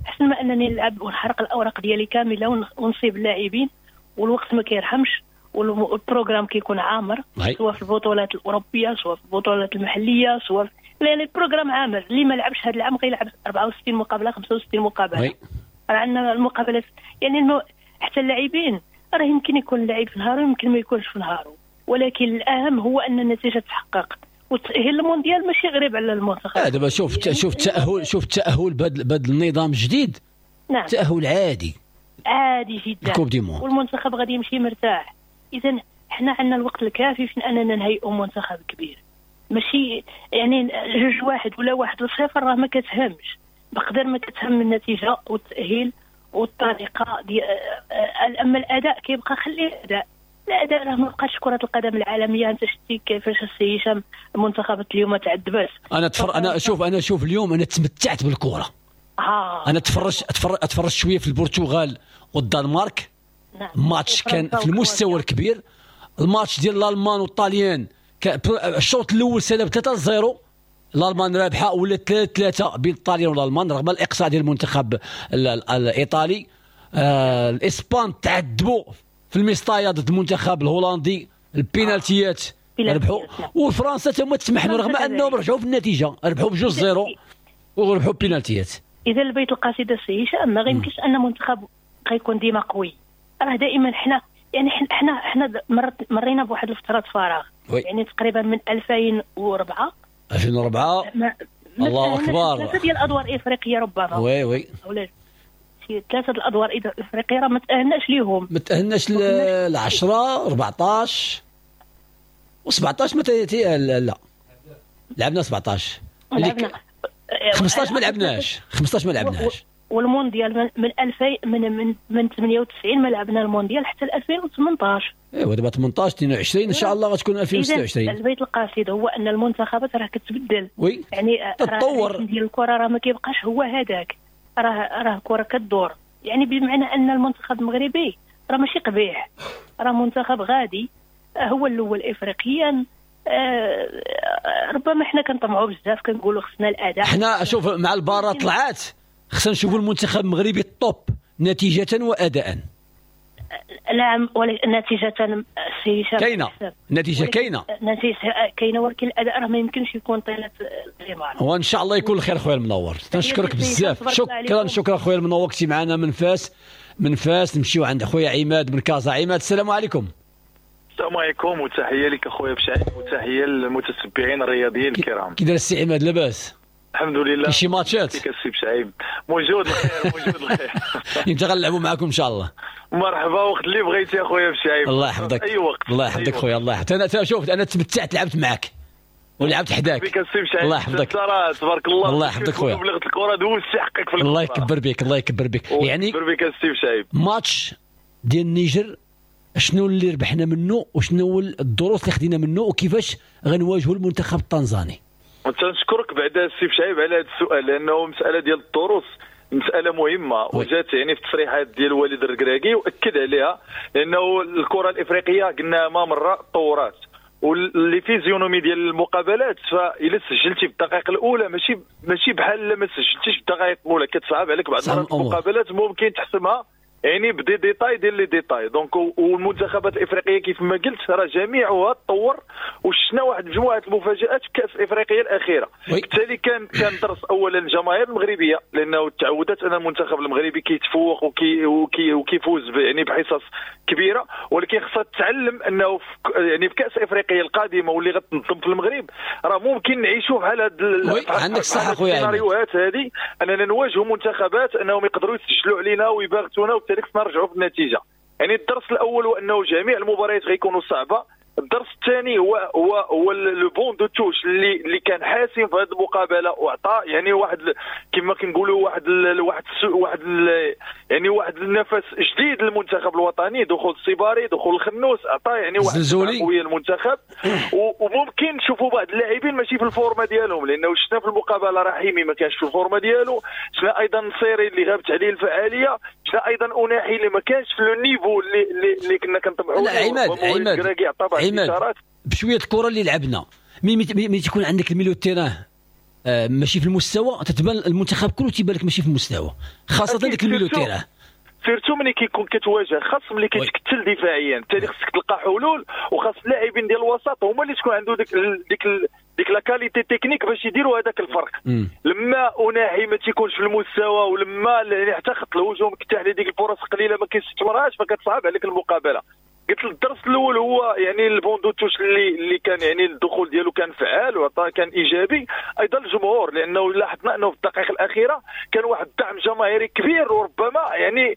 احسن ما انني نلعب ونحرق الاوراق ديالي كاملة ونصيب اللاعبين، والوقت ما كيرحمش وال programme كيكون عامر، سواء في البطولات الاوروبية سواء في البطولات المحلية سواء لان ال programme عامر. اللي ما لعبش هذا العام غيلعب 64 مقابله 65 مقابله. راه عندنا المقابلات يعني حتى اللاعبين راه يمكن يكون اللاعب في نهارو يمكن ما يكونش في نهارو، ولكن الاهم هو ان النتيجة تحقق والتاهيل المونديال ماشي غريب على المنتخب. دابا شوف يعني شوف التاهل بهذا النظام الجديد. نعم. تاهل عادي عادي جدا، coupe du monde، والمنتخب غادي يمشي مرتاح. اذا حنا عندنا الوقت الكافي في اننا نهيئوا منتخب كبير، ماشي يعني 2-1 ولا 1-0 راه ما كتهمش بقدر ما كتهم النتيجة والتاهيل والطريقة ديال. اما الاداء كيبقى خليه الاداء، الاداء راه ما بقاش كره القدم العالمية. انت شتي كيفاش السي هشام المنتخبات اليوم تعذبات. انا شوف اليوم انا تمتعت بالكرة. انا اتفرجت شوية في البرتغال والدنمارك. نعم. ماتش كان في المستوى الكبير. الماتش ديال الالمان والطاليان الشوط الاول سالا ب 3-0، الالمان رابحه ولا 3-3 بين الطاليان والالمان رغم الاقصاء ديال المنتخب الايطالي. الاسبان تعذبوا في المسطايه ضد المنتخب الهولندي، البينالتيات ربحوا. وفرنسا تما تسمحنا رغم انهم رجعوا في النتيجة، ربحوا ب2-0 وربحوا بينالتيات. اذا البيت القصيدة السي هشام ما غيمكنش ان منتخب غيكون ديما قوي، راه دائما حنا يعني حنا مرينا بواحد الفترات فراغ. يعني تقريبا من 2004 الله اكبر، 3 ديال الادوار الافريقية ربما. oui ولا شي 3 الادوار الافريقية راه ما تاهلناش ليهم، ما تاهلناش ل 10 14 و17 ما لا لعبنا 17، لعبنا 15 ما لعبناش، 15 ما لعبناش. والمونديال من 2000 من 98 ما لعبنا المونديال حتى 2018. ايوا دابا 18 22 ان شاء الله غتكون 2026. البيت القصيد هو ان المنتخبات راه كتبدل، oui يعني تتطور ديال الكره راه ما كيبقاش هو هذاك، راه الكره كدور. يعني بمعنى ان المنتخب المغربي راه ماشي قبيح، راه منتخب غادي هو الاول افريقيا. ربما حنا كنطمعوا بزاف كنقولوا خصنا الاداء. حنا شوف مع البارة طلعات خصنا نشوفوا المنتخب المغربي ال top نتيجة وأداء. نعم، نتيجة سي كاينة، نتيجة كاينة، نتيجة كاينة، ولكن الأداء راه ما يمكنش يكون طيلة الغمار. وإن شاء الله يكون الخير خويا المنور. تنشكرك بزاف، شكرا شكرا خويا المنور، كنتي معنا من فاس. من فاس نمشيو عند خويا عماد من كازا. عماد السلام عليكم. السلام عليكم وتحية لك اخويا بشعيب وتحية للمتتبعين الرياضيين الكرام. كي داير السي عماد لاباس؟ الحمد لله. شي ماتشات؟ كيك السي بشعيب؟ موجود الخير، موجود الخير. امتى غنلعبوا معاكم ان شاء الله؟ مرحبا وقت اللي بغيتي اخويا بشعيب. الله يحفظك. اي وقت. الله يحفظك خويا، الله يحفظك. انا شوف انا تمتعت لعبت معاك ولعبت حداك. بك السي بشعيب. الله يحفظك. تبارك الله. الله يحفظك خويا. بلغت الكره دوزتي حقك في الكره. الله يكبر بك، الله يكبر بك. يعني يكبر بك السي بشعيب. ماتش ديال النيجر شنو اللي ربحنا منه وشنو الدروس اللي خدينا منه وكيفاش غنواجهوا المنتخب التنزاني؟ تنشكرك بعدا السي بشعيب على هذا السؤال، لانه مسالة ديال الدروس مسالة مهمة وجات يعني في التصريحات ديال وليد الركراكي واكد عليها، لانه الكره الافريقية قلنا ما مرة تطورات و les physionomies ديال المقابلات، فإلا سجلتي في الدقائق الاولى ماشي بحال ما سجلتيش في الدقائق الاولى، كتصعب عليك بعض المرات المقابلات ممكن تحسمها يعني ب des détails ديال les détails. donc والمنتخبات الافريقية كيف ما قلت راه جميعها تطور وشفنا واحد مجموعة المفاجات في كاس افريقيا الاخيرة. بالتالي كان درس اولا الجماهير المغربية، لانه تعودت ان المنتخب المغربي كيتفوق وكيفوز يعني بحصص كبيرة، ولكن خصها تتعلم انه يعني في كاس افريقيا القادمة واللي غتنظم في المغرب راه ممكن نعيشوا بحال هاد عندك الصح خويا السيناريوهات هذه، اننا نواجهوا منتخبات انهم يقدروا يسجلوا علينا ويباغتونا وبالتالي خصنا نرجعوا في النتيجة. يعني الدرس الاول هو انه جميع المباريات غيكونوا صعبة. الدرس الثاني هو le banc de touche اللي كان حاسم في هذه المقابلة وعطى يعني واحد كما كنقولوا واحد واحد واحد يعني واحد النفس جديد للمنتخب الوطني، دخول السيباري، دخول الخنوس، عطى يعني واحد القوية للمنتخب. وممكن نشوفوا بعض اللاعبين ماشي في ال forme ديالهم، لانه شفنا في المقابلة رحيمي ما كانش في ال forme ديالو، شفنا ايضا نصيري اللي غابت عليه الفعالية، شفنا ايضا اوناحي اللي ما كانش في le niveau اللي كنا كنطمحوا له. عماد عماد بشوية الكره اللي لعبنا، mais تكون عندك ال milieu terrain ماشي في المستوى، تتبان المنتخب كله تيبان لك ماشي في المستوى، خاصة ديك ال milieu terrain. surtout ملي كيكون كتواجه خصم اللي كيتكتل دفاعيا، بالتالي خصك تلقى حلول، وخاص اللاعبين ديال الوسط هما اللي تكون عنده ديك la qualité technique باش يديروا هذاك الفرق. لما أوناحي ما تيكونش في المستوى، ولما يعني حتى خط الهجوم كتاح ليه ديك الفرص قليله ما كيستثمرهاش، فكتصعب عليك المقابلة. قلت الدرس الاول هو يعني ال banc de touche اللي كان يعني الدخول ديالو كان فعال وعطى كان ايجابي. ايضا الجمهور، لانه لاحظنا انه في الدقائق الاخيرة كان واحد الدعم جماهيري كبير، وربما يعني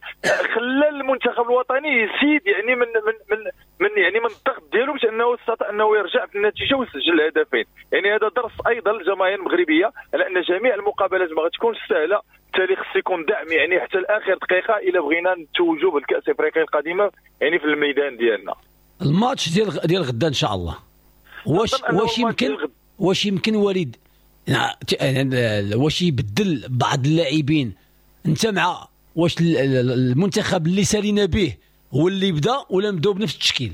خلى المنتخب الوطني يزيد يعني من من من من يعني من الضغط ديالو باش انه استطاع انه يرجع في النتيجة ويسجل الهدفين. يعني هذا درس ايضا للجماهير المغربية على ان جميع المقابلات ما غتكونش سهلة، بالتالي خص يكون دعم يعني حتى لاخر دقيقة الى بغينا نتوجوا بالكاس افريقيا القادمة يعني في الميدان ديالنا. الماتش ديال غدا ان شاء الله، واش يمكن وليد واش يبدل بعض اللاعبين؟ انت مع واش المنتخب اللي سالينا به هو اللي بدا ولا نبداو بنفس التشكيل؟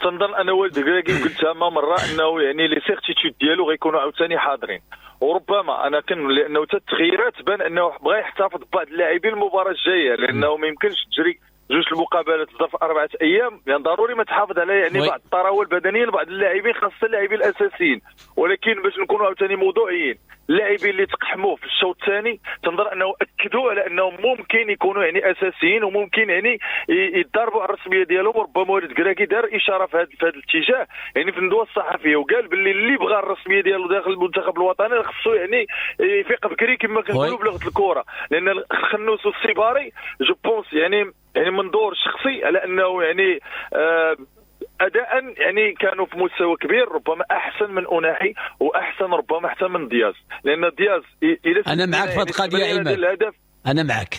تنظن انا وليد الركراكي قلتها ما مرة انه يعني les certitudes ديالو غيكونوا عاوتاني حاضرين، وربما انا كن لانه حتى التغييرات بان انه بغى يحتفظ ببعض اللاعبين المباراة الجاية، لانه ما يمكنش تجري جوج المقابلات في ظرف 4 ايام، يعني ضروري ما تحافظ على يعني بعض الطراوه البدنية لبعض اللاعبين، خاصة اللاعبين الاساسيين. ولكن باش نكونوا عاوتاني موضوعيين، اللاعبين اللي تقحموا في الشوط الثاني تنظر انه اكدوا على انهم ممكن يكونوا يعني اساسيين، وممكن يعني يتضاربوا على الرسمية ديالهم. وربما وليد الركراكي دار اشارة في هذا الاتجاه يعني في الندوة الصحفية، وقال باللي اللي بغى الرسمية ديالو داخل المنتخب الوطني خصو يعني يفيق بكري كما كنقولوا بلغه الكره، لان الخنوس والسيباري je pense يعني منظور شخصي على انه يعني اداء يعني كانوا في مستوى كبير، ربما احسن من أوناحي واحسن ربما حتى من دياز، لان دياز انا معك في هذه القضية عماد، انا معك.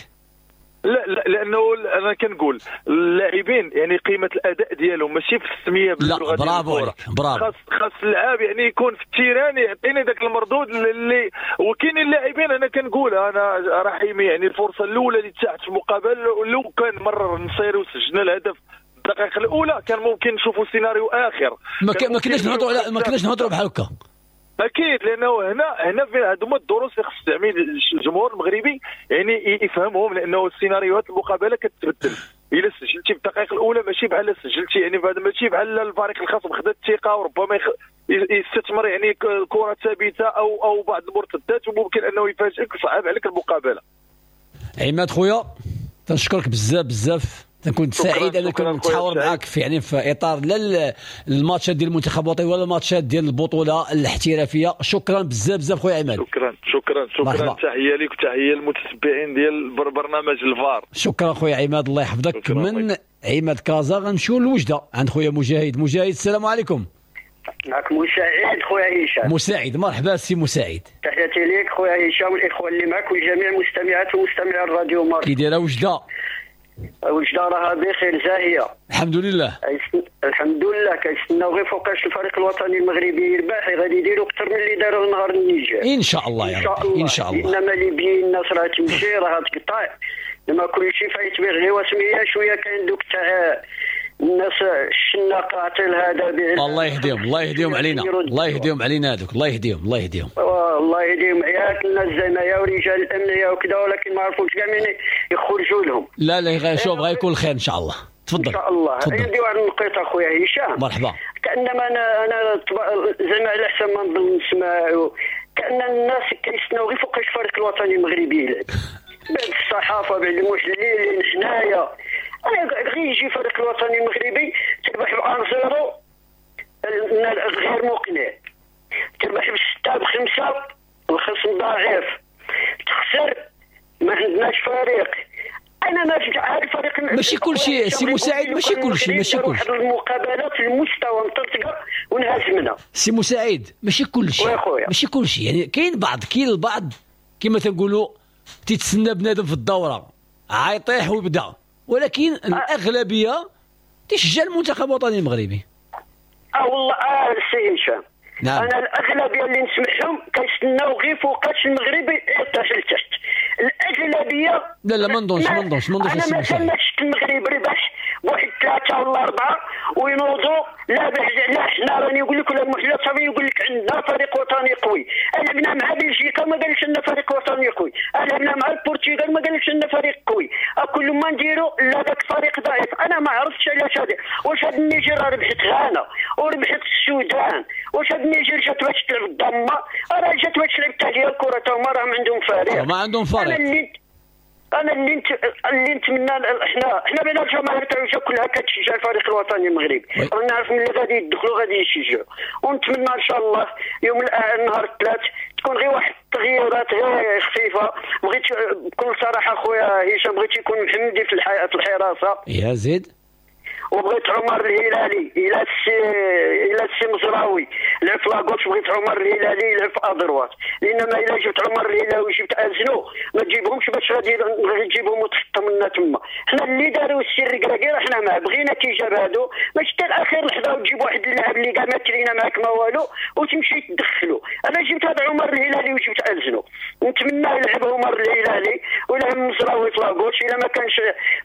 لا لا، لانه انا كنقول اللاعبين يعني قيمة الاداء ديالهم ماشي في السمية باللغة. لا برافو عليك، برافو. خاص اللاعب يعني يكون في ال terrain يعطيني ذاك المردود اللي، وكاين اللاعبين انا كنقول انا رحيمي يعني الفرصة الاولى اللي تاحت في المقابلة لو كان مرر نصيري وسجلنا الهدف الدقائق الاولى كان ممكن نشوفوا سيناريو اخر. ما كناش نهضروا على ما كناش نهضروا بحال هكا. اكيد، لانه هنا في هادو هما الدروس اللي خص يعني الجمهور المغربي يعني يفهمهم، لانه السيناريوهات المقابلة كتبدل. الا سجلتي في الدقائق الاولى ماشي بحال سجلتي يعني فهذا ماشي بحال الفريق الخصم خدا الثقة وربما يستثمر يعني كره ثابتة او بعض المرتدات، وممكن انه يفاجئك ويصعب عليك المقابلة. عماد خويا تنشكرك بزاف بزاف، كنت سعيد انك نتحاور معاك في يعني في اطار لا الماتشات ديال المنتخب الوطني ولا الماتشات ديال البطولة الاحترافية. شكرا بزاف بزاف خويا عماد. شكرا شكرا شكرا، تحية لك وتحية للمتتبعين ديال برنامج الفار. شكرا خويا عماد، الله يحفظك. من عماد كازا غنمشيو لوجده عند خويا مجاهد. مجاهد السلام عليكم. معك مساعد خويا هشام. مساعد، مرحبا سي مساعد. تحياتي لك خويا هشام والاخوة اللي معك والجميع المستمعات ومستمعي الراديو مارس. كي دايرة وجده؟ وجده راها بخير زاهيه الحمد لله. الحمد لله، كنستناو غير فوقاش الفريق الوطني المغربي يربح، غادي يديروا اكثر من اللي داروا نهار النيجر ان شاء الله يا رب. ان شاء الله. انما ليبيين الناس راه تمشي راه تقطع، لما كل شيء فايت به غير وسميه شوية. كاين دوك تاع الناس الشناقه عطيل هذا الله يهديهم، الله يهديهم علينا، الله يهديهم علينا هذوك، الله يهديهم، الله يهديهم، الله يهديهم. ياك الناس زعما يا ورجال الامن يا وكذا، ولكن ما عرفوش كاع من يخرجوا لهم. لا لا شوف غيكون الخير ان شاء الله. تفضل. ان شاء الله. عندي واحد النقيطه اخويا هشام. مرحبا. كانما انا زعما على حسب ما نظن نسمع كان الناس كيستناو غير فوقاش الفريق الوطني المغربي يلعب، بعد الصحافة بعد المحللين حنايا. انا غير يجي الفريق الوطني المغربي تربح ب 1-0 غير مقنع، تربح ب6 ب5 الخصم ضعيف، تخسر ما عندناش فريق. انا ما فهمت هذا الفريق ماشي كل شيء سي مساعد، ماشي كل شيء، ماشي كل شيء. المقابلات في المستوى مطرطقه ونهزمنا سي مساعد، ماشي كل شيء، ماشي كل شيء. يعني كاين بعض، كاين البعض كما تنقولوا تيتسنى بنادم في الدورة عيطيح ويبدا، ولكن الاغلبية تشجع المنتخب الوطني المغربي. والله سي هشام. نعم. انا الاغلبية اللي نسمعهم كيستناو غير فوقاش المغرب يطيح لتحت الاغلبية. لا لا ما نظنش ما نظنش ما نظنش. انا مازال ما شفت المغرب ربح 1 3 ولا 4 وينوضوا. لا لا حنا راني نقول لك، ولا المحلل صافي يقول لك عندنا فريق وطني قوي. لعبنا لعبنا مع بلجيكا ما قالكش عندنا فريق وطني قوي، لعبنا مع البرتغال ما قالكش عندنا فريق قوي، كل ما نديرو لا داك فريق ضعيف. انا ما عرفتش علاش هذا، واش هاد النيجر ربحت غانا وربحت السودان، واش هاد النيجر جات باش تلعب الضمة؟ راه جات باش تلعب حتى هي الكره، تا هما راهم عندهم فريق، ما عندهم فريق. انا اللي نتمنى حنا بين الجماهير تاع كلها كتشجع الفريق الوطني المغربي، نعرف ملي غادي يدخلوا غادي يشجعوا، ونتمنى ان شاء الله يوم النهار الثلاث تكون غير واحد التغييرات غير خفيفة. بغيت بكل صراحة خويا هشام، بغيت يكون محمدي في الحراسة يا زيد، وبغيت عمر الهلالي الى السي مزراوي لعب في la gauche، بغيت عمر الهلالي يلعب في à droite، لان ما الا جبت عمر الهلالي وجبت ازنو ما تجيبهمش باش غادي تجيبهم وتحطهم لنا تما. حنا اللي داروا السي الركراكي راه حنا معاه، بغينا كيجاب هادو ماشي حتى الاخير لحظة وتجيب واحد اللاعب اللي كاع ما ترينا معاك ما والو وتمشي تدخلو. انا جبت هذا عمر الهلالي وجبت ازنو، ونتمنى يلعب عمر الهلالي ويلعب مزراوي في la gauche. الا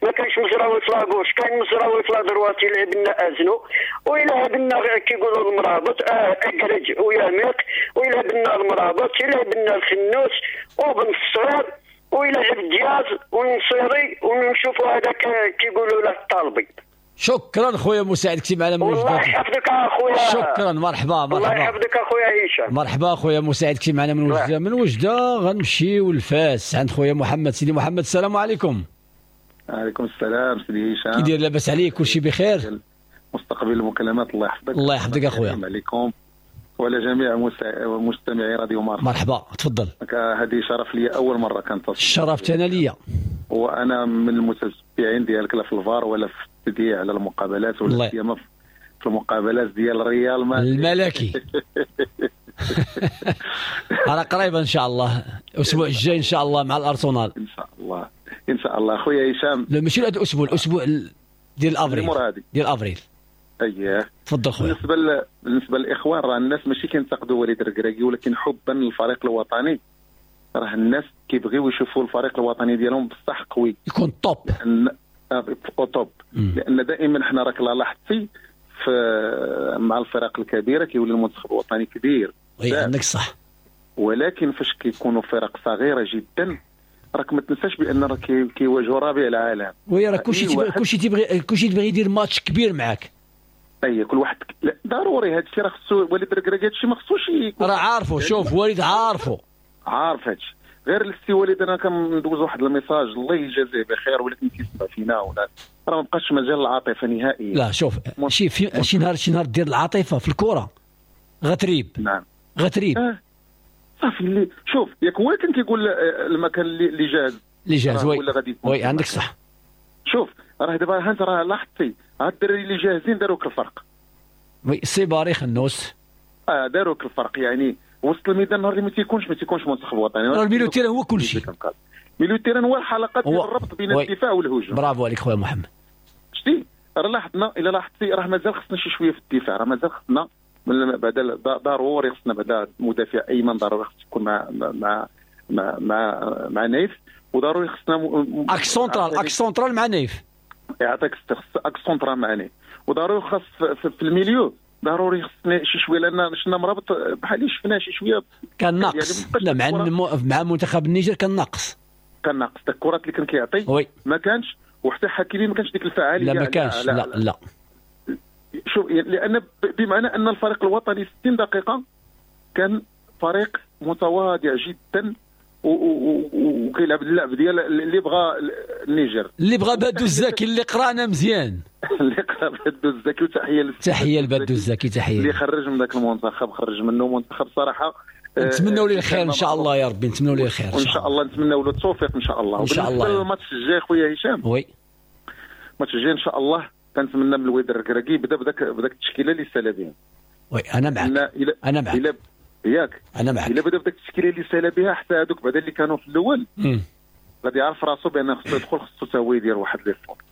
ما كانش مزراوي في la gauche كان مزراوي في la droite يلعب لنا ازنو، ويلعب لنا كيقولوا المرابط اكرج وياميق، ويلعب لنا المرابط، يلعب لنا الخنوس وبن الصغير، ويلعب دياز والنصيري، ونشوفوا هذاك كيقولوا له الطالبي. شكرا خويا مساعد كنتي معنا من وجدة. الله يحفظك اخويا. شكرا، مرحبا مرحبا. الله يحفظك اخويا هشام. مرحبا خويا مساعد كنتي معنا من وجدة. من وجدة غنمشيو لفاس عند خويا محمد. سيدي محمد السلام عليكم. وعليكم السلام سيدي هشام، كي داير؟ لاباس عليك؟ كلشي بخير؟ مستقبل المكالمات الله يحفظك. الله يحفظك اخويا. عليكم وعلى جميع مستمعي راديو مارس. مرحبا، تفضل. هذه شرف لي اول مرة كنتصل. شرفت انا ليا، وانا من المتتبعين ديالك لا في الفار ولا في التذييع على المقابلات ولا سيما في المقابلات ديال الريال مدريد الملكي. على قريبا ان شاء الله، الاسبوع الجاي ان شاء الله مع الارسنال ان شاء الله. ان شاء الله خويا هشام. لا ماشي هذا الاسبوع، الاسبوع ديال افريل، ديال افريل. اييه تفضل خويا. بالنسبة للاخوان راه الناس ماشي كينتقدوا وليد الركراكي، ولكن حبا للفريق الوطني راه الناس كيبغيو يشوفوا الفريق الوطني ديالهم بصح قوي، يكون top، لان top. لان دائما حنا راك لاحظتي في مع الفرق الكبيرة كيولي المنتخب الوطني كبير. oui عندك صح، ولكن فاش كيكونوا فرق صغيرة جدا راك ما تنساش بان راه كيواجهوا رابع العالم. oui راه كلشي تبغي يدير ماتش كبير معاك. اي كل واحد ضروري هذا الشيء راه خصو وليد الركراكي هذا الشيء ما خصوش يكون، راه عارفه. شوف وليد عارفه، عارف هذا الشيء. غير السي وليد انا كندوز واحد ال message الله يجازيه بخير، ولكن كيسمع فينا ولا راه ما بقاش مجال العاطفة نهائيا. لا شوف شي نهار دير العاطفة في الكره غتريب. نعم غتريب. صافي اللي شوف ياك هو كان كيقول المكان اللي جاهز، اللي جاهز. oui oui عندك صح. شوف راه دابا ها انت راه لاحظتي هاد الدراري اللي جاهزين داروك الفرق. oui سيباري خنوس داروك الفرق، يعني وسط الميدان نهار اللي ما تيكونش منتخب وطني. راه ال milieu terrain هو كل شيء. milieu terrain هو الحلقة ديال الربط بين الدفاع والهجوم. برافو عليك خويا محمد. شتي راه لاحظنا، الا لاحظتي راه مازال خصنا شي شوية في الدفاع، راه مازال خصنا بعدا ضروري خصنا بعدا مدافع ايمن، ضروري خص يكون مع مع مع مع, مع نايف، وضروري خصنا axe central، axe central مع نايف. يعطيك axe central مع نايف، وضروري خاص في ال milieu ضروري خصنا شي شوية، لان شفنا مرابط بحال اللي شفناه شي شوية كان ناقص. لا مع منتخب النيجر كان ناقص، كان ناقص داك الكرات اللي كان كيعطي ما كانش، وحتى حكيمي ما كانش ديك الفعالية. لا ما كانش، لا لا. شوف لان بمعنى ان الفريق الوطني 60 دقيقة كان فريق متواضع جدا وكيلعب اللعب ديال اللي بغى النيجر، اللي بغى بادو الزكي، اللي قرانا مزيان، اللي قرا بادو الزكي. وتحية تحية لبادو الزكي، تحية اللي خرج من ذاك المنتخب، خرج منه منتخب صراحة. نتمنوا ليه الخير ان شاء الله يا ربي، نتمنوا ليه الخير ان شاء الله، نتمنوا له التوفيق ان شاء الله. ان شاء الله. الماتش الجاي خويا هشام، oui الماتش الجاي ان شاء الله كنتمنى من الوليد الركراكي يبدا بداك التشكيلة اللي سالا بها. oui انا معك، انا معك ياك، انا معك. الا بدا بداك التشكيلة اللي سالا بها حتى هذوك بعدا اللي كانوا في الاول غادي يعرف راسو بان خصو يدخل، خصو حتى هو يدير واحد l'effort.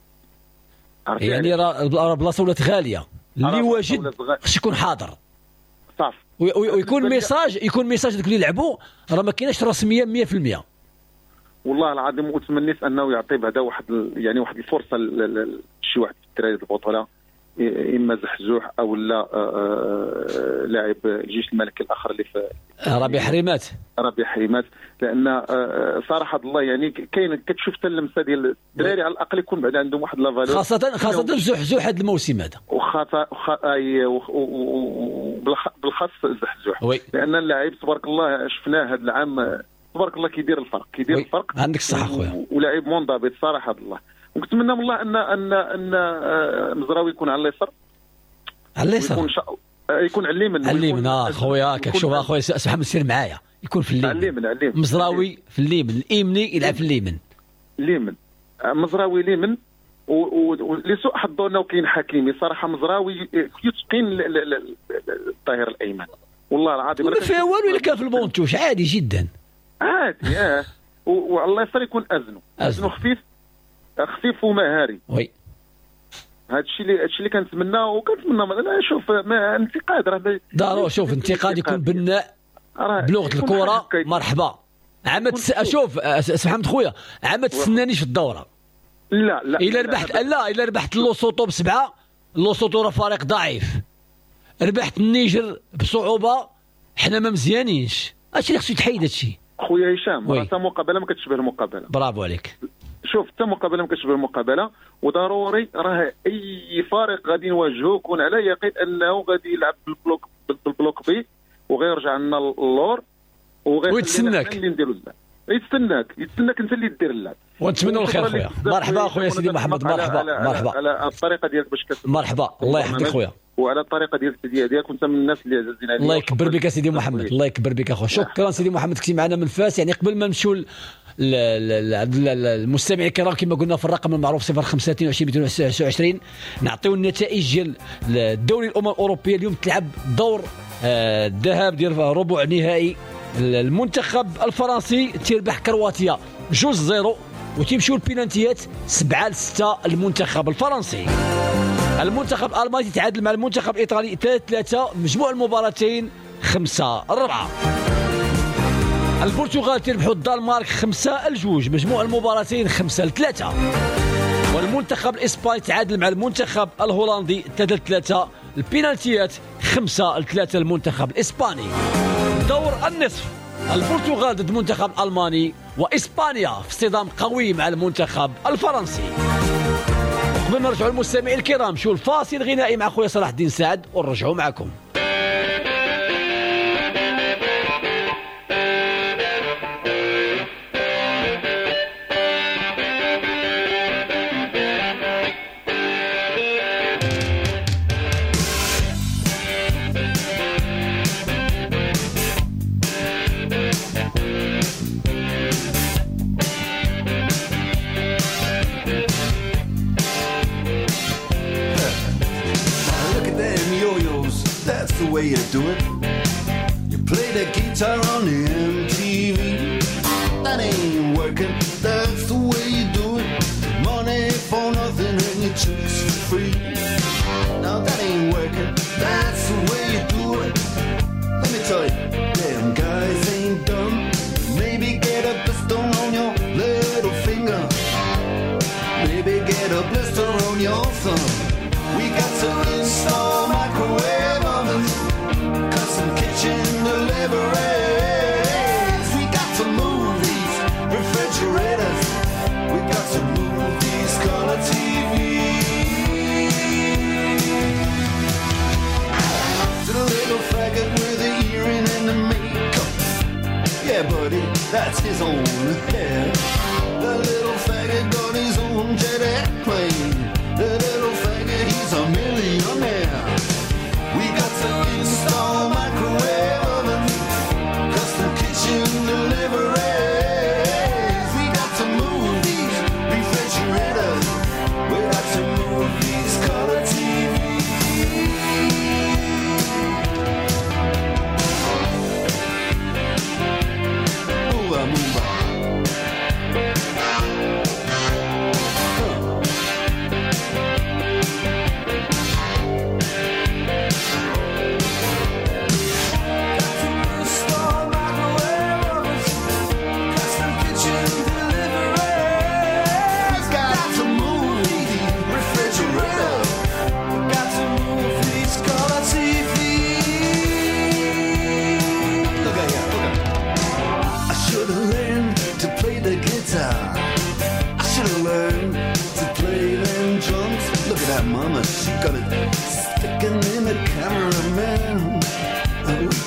يعني راه البلاصة ولات غالية، اللي واجد خصو يكون حاضر صافي، ويكون message، يكون message دوك اللي لعبوا راه ما كايناش رسمية 100%. والله العظيم وتمنيت انه يعطي بعدا واحد يعني واحد الفرصة لشي واحد في الدراري البطولة اما زحزوح او لا لاعب الجيش الملكي الاخر اللي في ربيع حريمات. ربيع حريمات، لان صراحة الله يعني كاين كتشوف حتى اللمسة ديال الدراري على الاقل يكون بعد عندهم واحد la valeur، خاصة زحزوح هذا الموسم هذا، وبالخاص زحزوح، لان اللاعب تبارك الله شفناه هذا العام تبارك الله كيدير الفرق، كيدير الفرق. عندك الصحة خويا، ولاعب منضبط صراحة الله. ونتمنى من الله ان ان ان مزراوي يكون على اليسار، على اليسار يكون على اليمين، على اليمين خويا. كتشوف اخويا سي محمد سير معايا، يكون في اليمين، على اليمين مزراوي في اليمين، اليمني يلعب في اليمين، اليمين مزراوي اليمين. ولسوء حظه انه كاين حكيمي صراحة، مزراوي يتقن الظهير الايمن والله العظيم، ما فيها والو الا كان في ال banc de touche عادي جدا، عادي. وعلى اليسار يكون ازنو خفيف خفيف ومهاري. oui هادشي اللي كنتمنى، وكنتمنى شوف ما انتقاد راه ضروري، شوف انتقاد يكون بناء بلغه الكره. مرحبا عام شوف سي محمد خويا، عام ما تسنانيش في الدورة. لا لا، الا ربحت، لا الا ربحت لوسوطو ب7، لوسوطو راه فريق ضعيف، ربحت النيجر بصعوبة، حنا ما مزيانينش، هادشي اللي خصو يتحيد هادشي خويا هشام. راه حتى مقابله ما كتشبه المقابلة. برافو عليك. شوف حتى مقابله ما كتشبه المقابلة، وضروري راه اي فريق غادي نواجهوه يكون على يقين انه غادي يلعب بال bloc بال bloc bas وغيرجع لنا اللور ويتسناك اللي نديرو اللعب، يتسناك انت اللي دير اللعب. ونتمنوا الخير خويا. مرحبا خويا سيدي محمد، مرحبا مرحبا على الطريقة ديالك باش مرحبا، الله يحفظك خويا، وعلى الطريقة ديال التدية ديالك، وانت من الناس اللي عزازين عليا. الله يكبر بك سيدي محمد، الله يكبر بك اخويا. شكرا سيدي محمد، كنتي معنا من فاس. يعني قبل ما نمشيو المستمعين الكرام كما قلنا في الرقم المعروف 025 229 نعطيو النتائج ديال الدوري الامم الاوروبية. اليوم تلعب دور الذهاب ديال ربع نهائي. المنتخب الفرنسي تيربح كرواتيا 2-0 وتمشيو البينالتيات 7-6 المنتخب الفرنسي. المنتخب الالماني تتعادل مع المنتخب الايطالي 3-3، مجموع المباراتين 5-4. البرتغال تربحوا الدنمارك 5-2، مجموع المباراتين 5-3. والمنتخب الاسباني تعادل مع المنتخب الهولندي 3-3، البينالتيات 5-3 المنتخب الاسباني. دور النصف البرتغال ضد المنتخب الالماني، واسبانيا في اصطدام قوي مع المنتخب الفرنسي. قبل ما نرجعوا للمستمعين الكرام شو الفاصل الغنائي مع خويا صلاح الدين سعد ونرجعوا معكم. Way you do it. You play the guitar on the MTV. That ain't working, that's the way you do it. Money for nothing and your chicks for free. Now that ain't working, that's the way you do it. Let me tell you, damn guys ain't dumb. Maybe get a blister on your little finger. Maybe get a blister on your thumb. We got to install microwave ovens, custom kitchen deliveries. We got to move these refrigerators. We got to move these color TVs. To the little faggot with the earring and the makeup. Yeah, buddy, that's his own hair. The little faggot got his own jet airplane. The little faggot, he's a millionaire. We got to install microwave ovens, custom kitchen deliveries. We got to move these refrigerators. We got to move these color TVs. Move on, move on.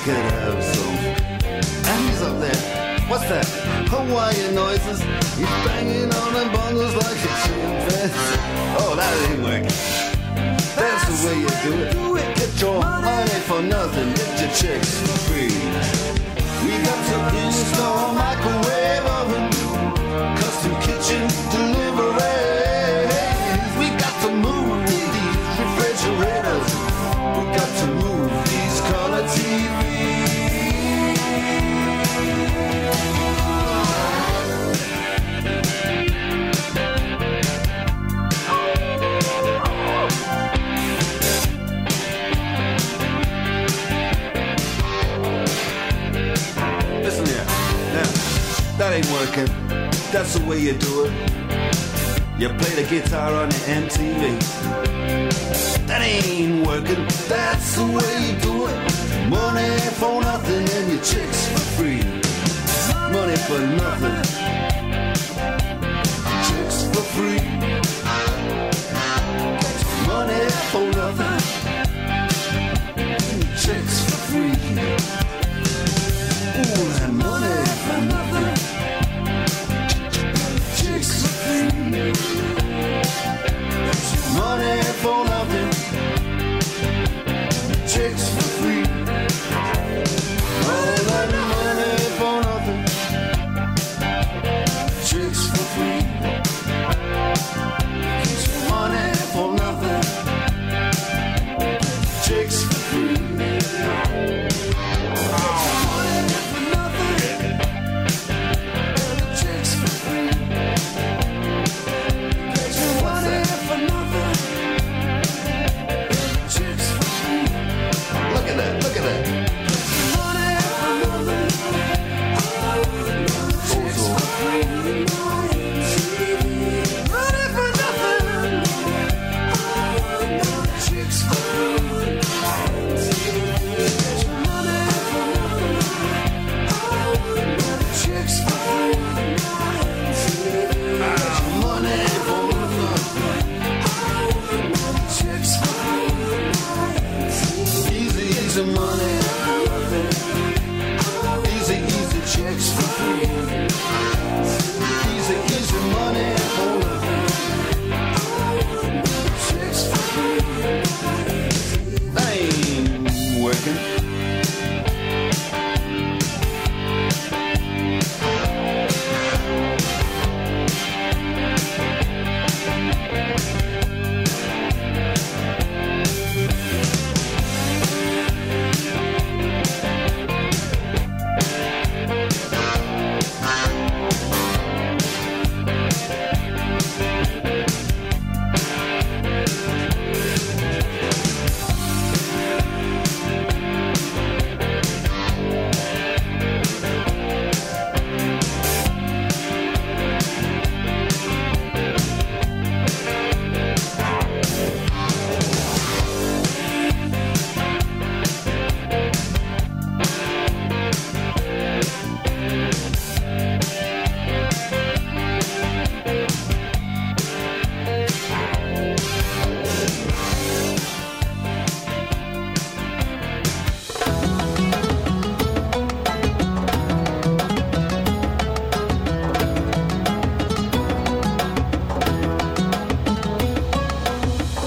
could have some. And he's up there. What's that? Hawaiian noises. He's banging on the bongos like a chimpanzee. Oh, that ain't working. That's the way you do it. Get your money for nothing. Get your chicks for free. We got to install microwave oven, custom kitchen deliveries. We got to move these refrigerators. We got to move these color TVs. Listen here, now, that ain't working. That's the way you do it. You play the guitar on the MTV. That ain't working. That's the way you do it. Money for nothing and your chicks for free. Money for nothing. Chicks for free. Money for nothing. Chicks for free. Ooh, that money for nothing. Chicks for free. Money for nothing. Chicks for free. All that money for nothing. Chicks for free. Money for nothing. Chicks for free. Money for nothing. Chicks for free. Money for nothing. Chicks for free. Look at that, look at that. Money for nothing. Chicks for free. Money for nothing. Chicks for free. Money for nothing. Chicks for free. Money for nothing. Chicks for free. Easy, easy money. Easy, easy chicks for free. Easy, easy money for nothing. Chicks for free. That ain't working.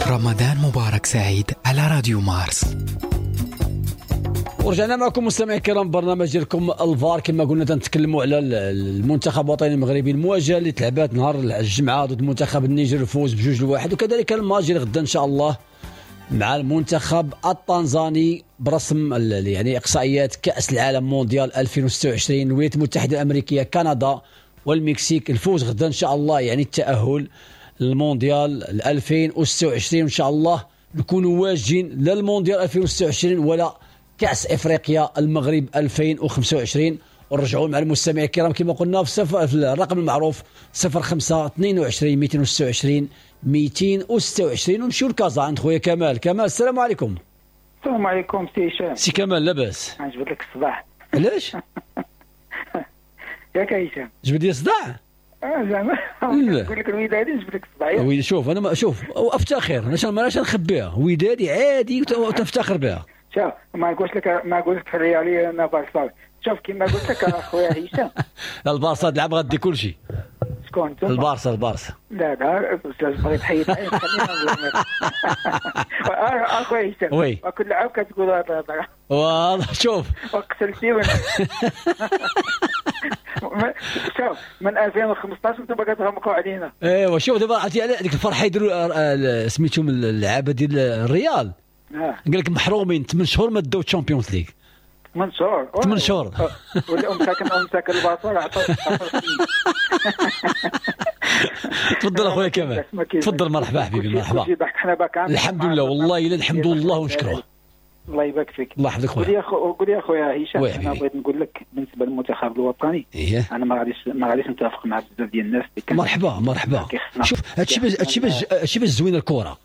رمضان مبارك سعيد على راديو مارس. ورجعنا معكم مستمعي الكرام، برنامج ديالكم الفار. كما قلنا تنتكلموا على المنتخب الوطني المغربي، المواجهة اللي تلعبات نهار الجمعة ضد منتخب النيجر، الفوز ب2-1، وكذلك الماتش غدا ان شاء الله مع المنتخب التنزاني برسم يعني اقصائيات كاس العالم مونديال 2026، الولايات المتحدة الامريكية، كندا والمكسيك. الفوز غدا ان شاء الله يعني التاهل للمونديال 2026، ان شاء الله نكونوا واجدين لا المونديال 2026 ولا كأس افريقيا المغرب 2025. ونرجعوا مع المستمعين الكرام كما قلنا في الرقم المعروف 05 22 226 226، ونمشيو لكازا عند خويا كمال. كمال السلام عليكم. السلام عليكم سي هشام. سي كمال لاباس؟ نجبد لك الصداع. علاش؟ ياك هشام جبد لي الصداع؟ زعما نقول لك الودادي نجبد لك الصداع. oui شوف انا ما شوف وافتخر، انا ماناش نخبيها، ودادي عادي وتفتخر بها. شوف ما نقولش لك ريالي، انا بارساوي. شوف كما قلت لك اخويا هشام، البارسا تلعب غادي كل شيء. شكون انت؟ البارسا. لا لا بغيت تحيد عين خلينا اخويا هشام كل عام كتقول هذا الهضرة. والله شوف وقتلتي. شوف من 2015 انتم كتغمقوا علينا. ايوا شوف دابا عرفتي على ديك الفرحة يديروا سميتهم اللعابه ديال الريال. قال لك محرومين 8 شهور ما داو Champions League. 8 شهور 8 شهور. ولا مساكن الباصه عطاو. تفضل اخويا كمال، تفضل. مرحبا حبيبي، مرحبا. الحمد لله والله الا الحمد لله ونشكروه. الله يبارك فيك. الله يحفظك خويا. قول لي اخويا هشام، انا بغيت نقول لك بالنسبة للمنتخب الوطني انا ما غاديش نتفق مع بزاف ديال الناس. مرحبا مرحبا. شوف هادشي باش زوينة الكره.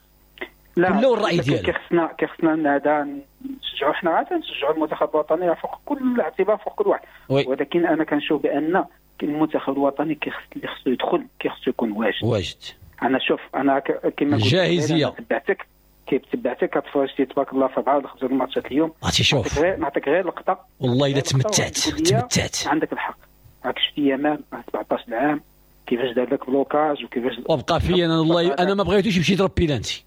لا كل الراي ديالو. كيخصنا هذا نشجعوا، حنا عاد نشجعوا المنتخب الوطني فوق كل اعتبار، فوق كل واحد. ولكن انا كنشوف بان المنتخب الوطني خصو يدخل، كيخصو يكون واجد. انا شوف انا كما قلت الجاهزيه تبعتك كتفرجتي تبارك الله في 4 ولا 5 الماتشات اليوم. عرفتي شوف نعطيك غير لقطة والله الا تمتعت. عندك الحق، راك شفتي يامال 17 عام كيفاش دار لك blocage وكيفاش وبقى فيا انا والله. انا ما بغيتوش يمشي يضرب بيلانتي.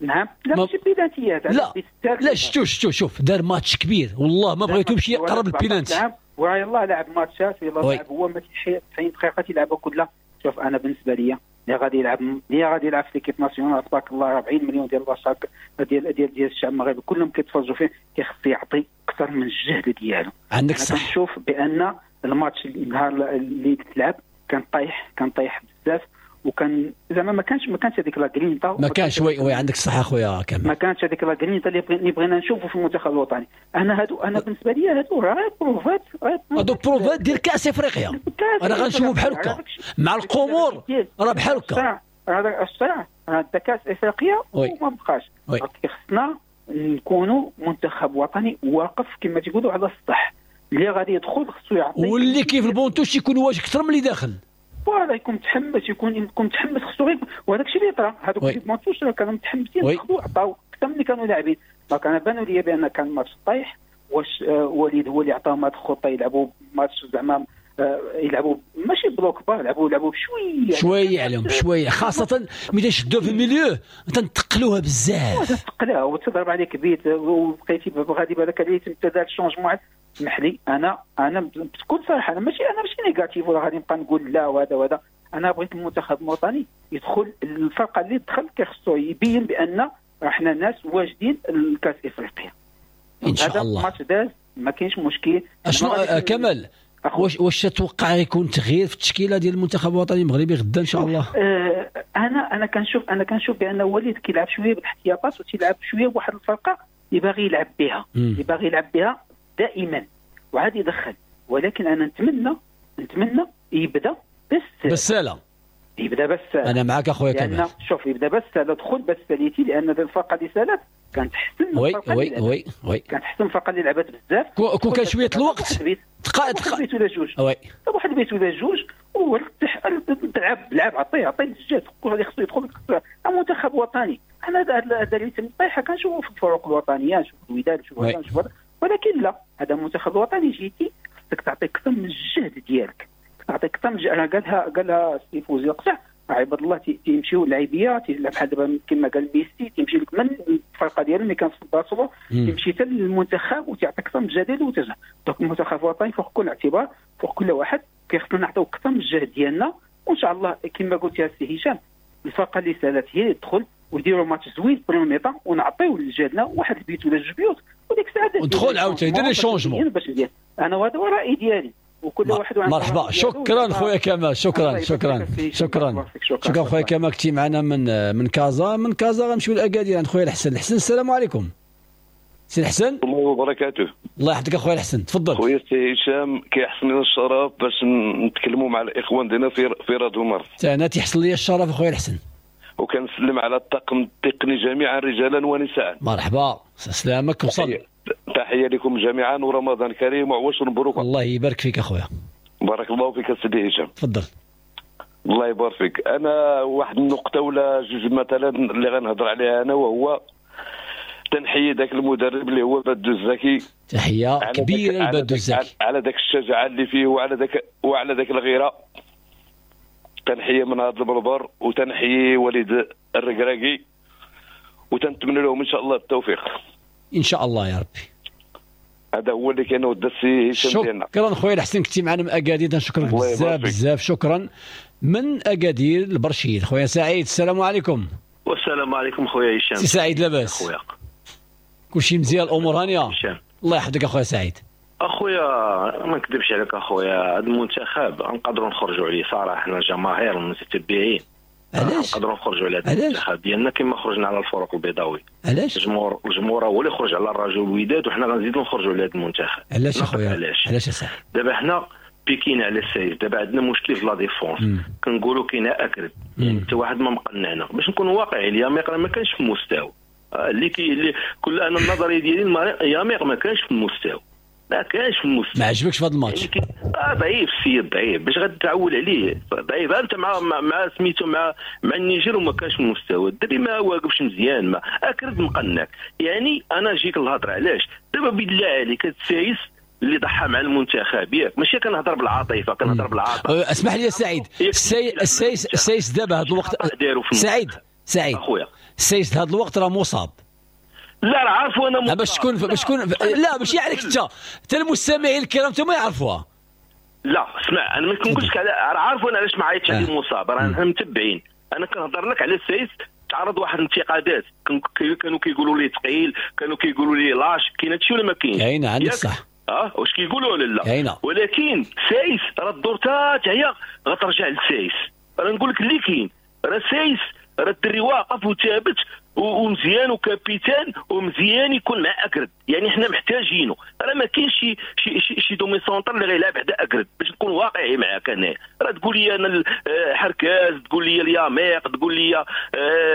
نعم لا ماشي بيلانتيات. لا لا شتو شوف دار ماتش كبير والله ما بغيتو يمشي يقرب البيلانتي. ويلاه لعب ماتشات، يلاه لعب هو ما 90 دقيقة تيلعبها كلها. شوف انا بالنسبة لي اللي غادي يلعب في l'équipe nationale تبارك الله 40 مليون ديال البشر ديال ديال ديال الشعب المغربي كلهم كيتفرجوا فيه، كيخص يعطي اكثر من الجهد ديالو. عندك صح. كنشوف بان الماتش النهار اللي تلعب كان طايح بزاف، وكان زعما ما كانش هذيك la grinta، ما كانش. oui عندك الصح اخويا كمال، ما كانش هذيك la grinta اللي بغينا نشوفوا في المنتخب الوطني. انا بالنسبة لي هادو راه بروفات، هادو بروفات ديال كاس افريقيا. انا غنشوفوا بحال هكا مع القمور، راه بحال هكا. هذا الصراع هذا كاس افريقيا وما بقاش. خصنا نكونوا منتخب وطني واقف كما تيقولوا على السطح، اللي غادي يدخل خصو يعطي، واللي كيف ال banc de touche يكون واجد اكثر من اللي داخل. voilà يكون متحمس، يكون متحمس خصو غير. وهذاك الشيء اللي طرا، هذوك les banc de touche كانوا متحمسين، دخلوا عطاو اكثر من اللي كانوا لاعبين. donc انا بانوا لي بان كان ماتش طايح. واش وليد هو اللي عطاهم هذه الخطة يلعبوا ماتش زعما يلعبوا ماشي bloc bas، لعبوا بشوية شوية عليهم بشوية، خاصة ملي تشدوا في ال milieu تنتقلوها بزاف، تنتقلوها وتضرب عليك بيت وبقيتي غادي بالك عليه تم دار ال changement. اسمح لي انا بكل صراحة انا ماشي négatif ولا غادي نبقى نقول لا وهذا وهذا. انا بغيت المنتخب الوطني يدخل، الفرقة اللي دخل كيخصو يبين بان حنا ناس واجدين الكاس افريقيا ان شاء الله. الماتش داز ما كاينش مشكل. اشنو كمال، واش تتوقع يكون تغيير في التشكيلة ديال المنتخب الوطني المغربي غدا ان شاء الله؟ انا كنشوف بان وليد كيلعب شوية بالاحتياطات وتيلعب شوية بواحد الفرقة اللي باغي يلعب بها، اللي باغي يلعب بها دائما وعاد يدخل. ولكن انا نتمنى يبدا بالساله، يبدا بالساله. انا معك اخويا كمال. شوف يبدا بالساله، دخل بالساليتي، لان الفرقة اللي سالت كانت احسن. oui oui oui oui كانت احسن الفرقة اللي لعبت بزاف. كون كان شوية الوقت دقائق بيت ولا جوج، oui واحد بيت ولا جوج تلعب عطية للجهد، اللي خصو يدخل منتخب وطني. انا هذا اللي تم طايحة كنشوفوا في الفرق الوطنية، نشوف الوداد، نشوف هذا، ولكن لا، هذا المنتخب الوطني جيتي خصك تعطي اكثر من الجهد ديالك، تعطي اكثر من انا قالها السي فوزي القصع، عباد الله تيمشيو اللاعبيه تيلعب بحال دابا كما قال ميسي، تيمشي لك من الفرقة ديالو اللي كان في برشلونة تيمشي حتى للمنتخب وتعطي اكثر من الجهد ديالو وترجع. donc المنتخب الوطني فوق كل اعتبار، فوق كل واحد، كيخصنا نعطيو اكثر من الجهد ديالنا. وان شاء الله كما قلت يا سي هشام، الفرقة اللي سالت هي اللي تدخل ويديروا ماتش زوين première mi-temps ونعطيو لجهدنا واحد البيت ولا جوج بيوت، وديك الساعة ندخل عاوتاني دير les changements. باش ندير انا، وهذا هو الراي ديالي وكل واحد. مرحبا، شكرا خويا كمال، شكرا شكرا شكرا شكرا خويا كمال، كنتي معنا من كازا. من كازا غنمشيو لاكادير عند خويا الحسن. الحسن السلام عليكم. سي الحسن، الله وبركاته. الله يحفظك اخويا الحسن، تفضل. خويا سي هشام، كيحصل لنا الشرف باش نتكلموا مع الاخوان ديالنا في راديو مارس. انا تيحصل لي الشرف اخويا الحسن، وكنسلم على الطاقم التقني جميعا رجالا ونساء. مرحبا، سلامك وصل. تحية لكم جميعا ورمضان كريم وعواشر مبروك. الله يبارك فيك اخويا. بارك الله فيك سيدي هشام. تفضل. الله يبارك فيك. انا واحد النقطة ولا جوج مثلا اللي غنهضر عليها انا، وهو تنحيي ذاك المدرب اللي هو بادو الزكي، تحية كبيرة لبادو الزكي على ذاك الشجاعة اللي فيه وعلى ذاك الغيرة. تنحيي من هذا المنبر وتنحيي وليد الركراكي، وتنتمنى لهم ان شاء الله التوفيق ان شاء الله يا ربي. هذا هو اللي كان ود السي هشام ديالنا. شكرا خويا الحسن، كنتي معنا من اكادير، نشكرك بزاف بزاف. شكرا. من اكادير البرشيد خويا سعيد، السلام عليكم. والسلام عليكم خويا هشام. سي سعيد لاباس؟ خويا كلشي مزيان، الامور هانيه؟ الله يحفظك اخويا سعيد. اخويا ما نكذبش عليك اخويا، هذا المنتخب نقدروا نخرجوا عليه صراحة، حنا الجماهير المتتبعين. علاش؟ نقدروا نخرجوا على هذا المنتخب ديالنا كما خرجنا على الفرق البيضاوي. علاش؟ الجمهور هو اللي خرج على الرجل الوداد، وحنا غنزيدوا نخرجوا على هذا المنتخب. علاش اخويا؟ علاش يا سعيد؟ دابا حنا بيكينا على السايس، دابا عندنا مشكل في la défense، كنقولوا كاين اكرد، يعني حتى واحد ما مقنعنا. باش نكونوا واقعيين، الياميق راه ما كانش في المستوى اللي كل انا النظرية ديالي الياميق ما كانش في المستوى، ما كانش في المستوى. ما عجبكش في هذا الماتش؟ يعني ضعيف السيد، ضعيف باش غتعول عليه، ضعيف. انت مع سميتو مع النيجر وما كانش في المستوى، الدري ما واقفش مزيان، ما اكرد مقنعك. يعني انا جيك الهضرة علاش دابا بالله عليك هاد السايس اللي ضحى مع المنتخب، ياك ماشي كنهضر بالعاطفه، كنهضر بالعاطفه. اسمح لي يا سعيد، السايس دابا هذا الوقت، سعيد اخويا، السايس هذا الوقت راه مصاب. لا راه عارفو انا مصاب. باش تكون لا ماشي عليك انت، حتى المستمعين الكرام انت ما يعرفوها. لا اسمع، انا ما كنقولش على راه عارفو انا علاش ما عيطتش عليه مصاب، راه حنا متبعين. انا كنهضر لك على السايس تعرض واحد الانتقادات، كانوا كيقولوا لي ثقيل، كانوا كيقولوا لي lâche، كاين هادشي ولا ما كاينش؟ كاين، عندك صح. واش كيقولوا ولا لا؟ ولكن سايس راه الدور تا هي غترجع للسايس. راه نقول لك اللي كاين، راه سايس راه الدري واقف وثابت ومزيان و capitaine ومزيان يكون مع اكرد، يعني حنا محتاجينه. راه ما كاينش شي شي شي, شي demi-centre اللي غيلعب حدا اكرد، باش نكون واقعي معاك انا. راه تقول لي انا حركاز، تقول لي الياميق، تقول لي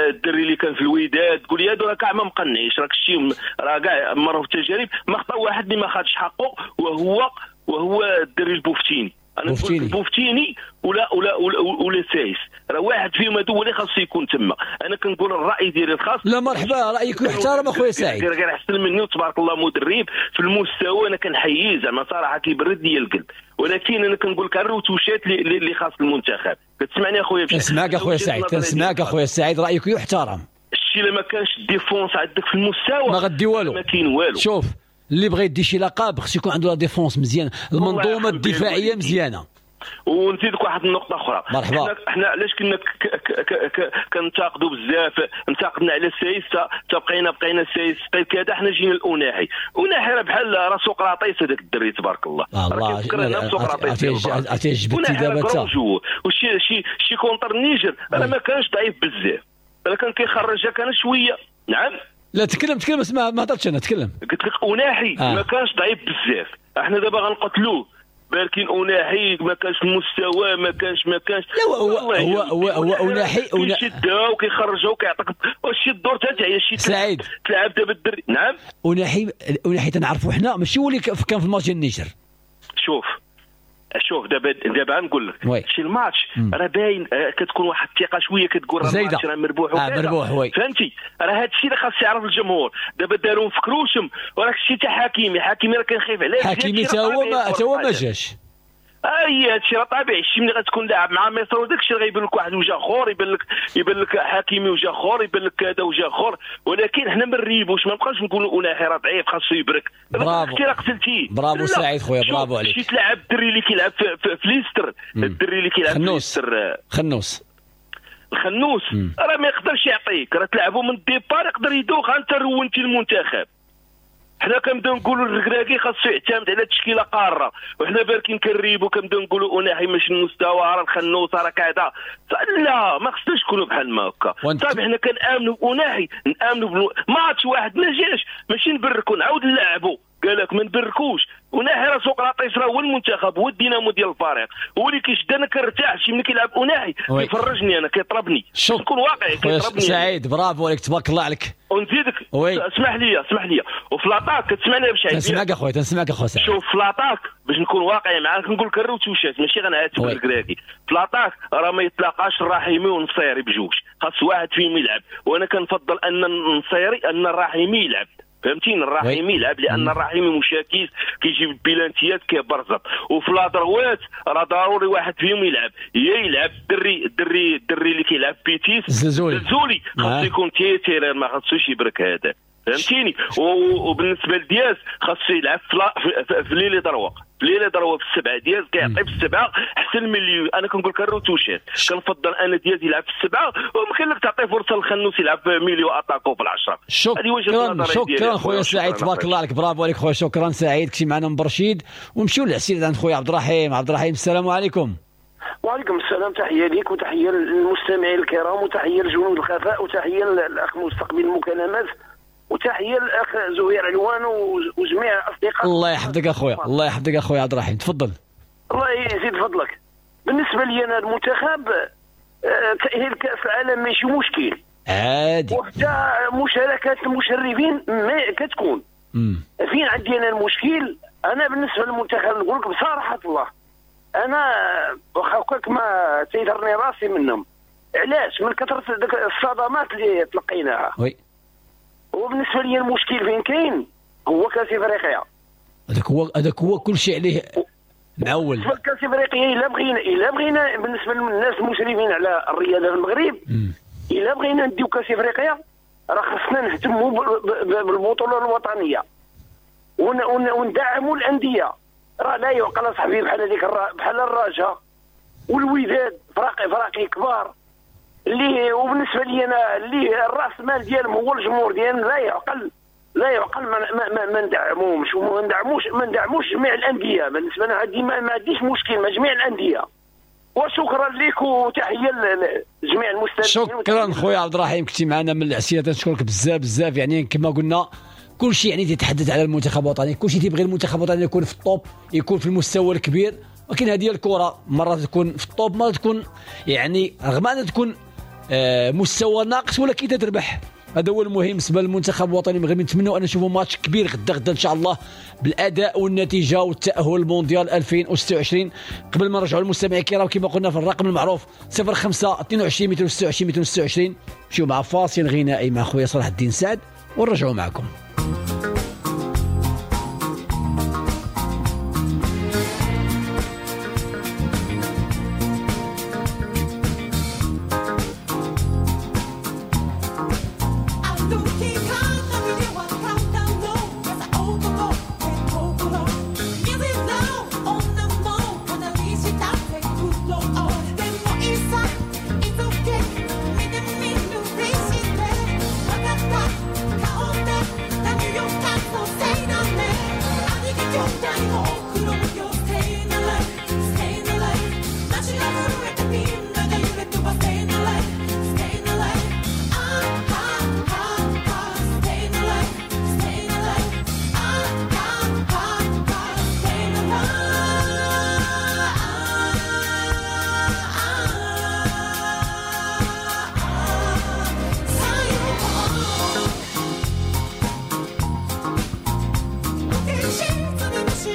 الدري اللي كان في الوداد، تقول لي هادو راه كاع ما مقنعيش، راك شتي راه كاع مروا في التجارب، ما خطا واحد اللي ما خدش حقه وهو الدري البوفتيني. انا نقول بوفتيني ولا ولا ولا, ولا سايس، راه واحد فيهم هادو هو اللي خاصو يكون تما. انا كنقول الراي ديالي الخاص. لا مرحبا، رايك يحترم اخويا سعيد، غير احسن مني وتبارك الله مدرب في المستوى، انا كنحييه زعما صراحة كيبرد لي القلب. ولكن انا كنقول لك الروتوشات اللي خاص المنتخب. كتسمعني اخويا؟ كنسمعك اخويا سعيد، كنسمعك اخويا سعيد، رايك يحترم. الشيء الا ما كانش ال défense عندك في المستوى ما غدي والو، ما كاين والو. شوف اللي بغى يدي شي لقب خص يكون عنده la défense مزيانه، المنظومة الدفاعية مزيانه. ونزيدك واحد النقطة اخرى. مرحبا. حنا علاش كنا كنتاقدوا بزاف، انتقدنا على السايس، بقينا السايس كذا، حنا جينا الاوناحي. اوناحي راه بحال راه سقراطيس هذاك الدري تبارك الله، الله كيفكرنا بسقراطيس. عرفتي جبتي دابا انت وشي شي شي contre النيجر راه ما كانش ضعيف بزاف، راه كان كيخرجها كان شوية. نعم لا تكلم تكلم، اسمع ما هضرتش انا، تكلم. قلت لك اوناحي ما كانش ضعيف بزاف، احنا دابا غنقتلوه بالكين اوناحي ما كانش المستوى، ما كانش لا هو هو هو هو اوناحي كيشدها وكيخرجها وكيعطيك واش الدور تا هي شي سعيد تلعب دابا الدري. نعم اوناحي تنعرفوا حنا ماشي هو اللي كان في الماتش ديال النيجر. شوف دابا نقول لك شي الماتش راه باين، كتكون واحد الثقة شوية، كتقول راه الماتش راه مربوح مربوح oui، فهمتي؟ راه هذا الشيء اللي خاص يعرف الجمهور. دابا داروا في كروشم، وراك شتي حتى حكيمي راه كنخاف عليه. حكيمي تا هو ما جاش. اي هادشي راه طبيعي، شتي ملي غتكون لاعب مع مصر وداك الشيء غيبان لك واحد وجه اخر، يبان لك حكيمي وجه اخر، يبان لك كذا وجه اخر. ولكن حنا ما نريبوش، ما نبقاوش نقولوا اوناحي راه ضعيف خاصو يبرك. برافو راه قتلتيه. برافو سعيد خويا، برافو عليك. شي تلعب الدري اللي كيلعب في ليستر، الدري اللي كيلعب في ليستر الخنوس راه ما يقدرش يعطيك، راه تلعبوا من ال départ يقدر يدوخ. انت رونتي المنتخب. حنا كنبداو نقولوا الركراكي خاصو يعتمد على تشكيله قارة، وحنا باركين كنريبو كنبداو نقولوا اوناحي ماشي المستوى، راه الخنوس راه كذا. لا ما خصناش نكونوا بحال ما هكا. صافي حنا كنامنوا باوناحي، نامنوا ماتش واحد ما جاش ماشي نبركو نعاود نلعبوا. قال لك ما نبركوش. وناحي راه سقراطيس راه هو المنتخب، هو الدينامو ديال الفريق، هو اللي كيشد. انا كنرتاح شي ملي كيلعب أوناحي كيفرجني انا، كيطربني. نكون واقعي كيطربني. سعيد برافو عليك، تبارك الله عليك. ونزيدك اسمح لي وفي l'attaque كتسمعني باش تنسمعك اخويا، تنسمعك اخويا سعيد. شوف في l'attaque باش نكون واقعي معاك نقول لك الروتوشات ماشي غنعاتب الكراكي. في l'attaque راه ما يتلاقاش الرحيمي والنصيري بجوج، خاص واحد فيهم يلعب، وانا كنفضل ان النصيري ان الرحيمي يلعب، فهمتيني؟ الرحيمي يلعب لان الرحيمي مشاكيس كيجيب البيلانتيات كيبرزط. وفي la droite راه ضروري واحد فيهم يلعب، يا يلعب الدري اللي كيلعب بيتيس الزلزولي خاصو يكون titulaire، ما خاصوش يبرك هذا، فهمتيني؟ وبالنسبة لدياز خاصو يلعب في l'ailier droit، في l'ailier droit في السبعة. دياز كيعطي في السبعة احسن من اللي انا كنقول لك الروتوشات. كنفضل انا دياز يلعب في السبعة، وممكن لك تعطي فرصة للخنوس يلعب في milieu attaquant في العشرة. شكرا شكرا خويا سعيد، تبارك الله عليك، برافو عليك خويا. شكرا سعيد، كنتي معنا من برشيد. ونمشيو للعسير عند خويا عبد الرحيم. عبد الرحيم السلام عليكم. وعليكم السلام، تحية ليك وتحية للمستمعين الكرام وتحية لجنود الخفاء وتحية للاخ مستقبل المكالمات وتحية للاخ زهير علوان وجميع الاصدقاء. الله يحفظك اخويا، الله يحفظك اخويا عبد الرحيم، تفضل. الله يزيد فضلك. بالنسبة لي انا المنتخب تاهيل كاس العالم ماشي مشكل عادي، وحتى مشاركات المشرفين ما كتكون. فين عندي انا المشكل؟ انا بالنسبة للمنتخب نقول لك بصراحة الله، انا واخا هكاك ما تيضرني راسي منهم. علاش؟ من كثرة ديك الصدمات اللي تلقيناها. oui. وبالنسبة لي المشكل فين كاين هو كاس افريقيا. هذاك هو كل شيء عليه معول. كاس افريقيا الا بغينا بالنسبة للناس المشرفين على الرياضة في المغرب، الا بغينا نديو كاس افريقيا راه خصنا نهتموا بالبطولة الوطنية وندعموا الاندية. راه لا يعقل صاحبي بحال هذيك بحال الرجاء والوداد، فراقي كبار اللي، وبالنسبة لي انا اللي الراس مال ديالهم هو الجمهور ديالهم، لا يعقل ما ندعموهمش وما ندعموش جميع الاندية. بالنسبة لنا عندي ما عنديش مشكل مع جميع الاندية. وشكرا لك وتحية لجميع المستمعين. شكرا خويا عبد الرحيم، كنتي معنا من العسيره، تنشكرك بزاف بزاف. يعني كما قلنا كل شيء يعني تيتحدث على المنتخب الوطني، كل شيء تيبغي المنتخب الوطني يكون في ال top، يكون في المستوى الكبير، ولكن هذه الكره مرة تكون في ال top، مرة تكون يعني رغم ان تكون مستوى ناقص ولكن تتربح. هذا هو المهم بالنسبة للمنتخب الوطني المغربي. نتمنوا ان نشوفوا ماتش كبير غدا ان شاء الله بالاداء والنتيجة والتاهل المونديال 2026. قبل ما نرجعوا للمستمعين الكرام كما قلنا في الرقم المعروف 05 22 226 226، نمشيو مع فاصل غنائي مع خويا صلاح الدين سعد ونرجعوا معكم. She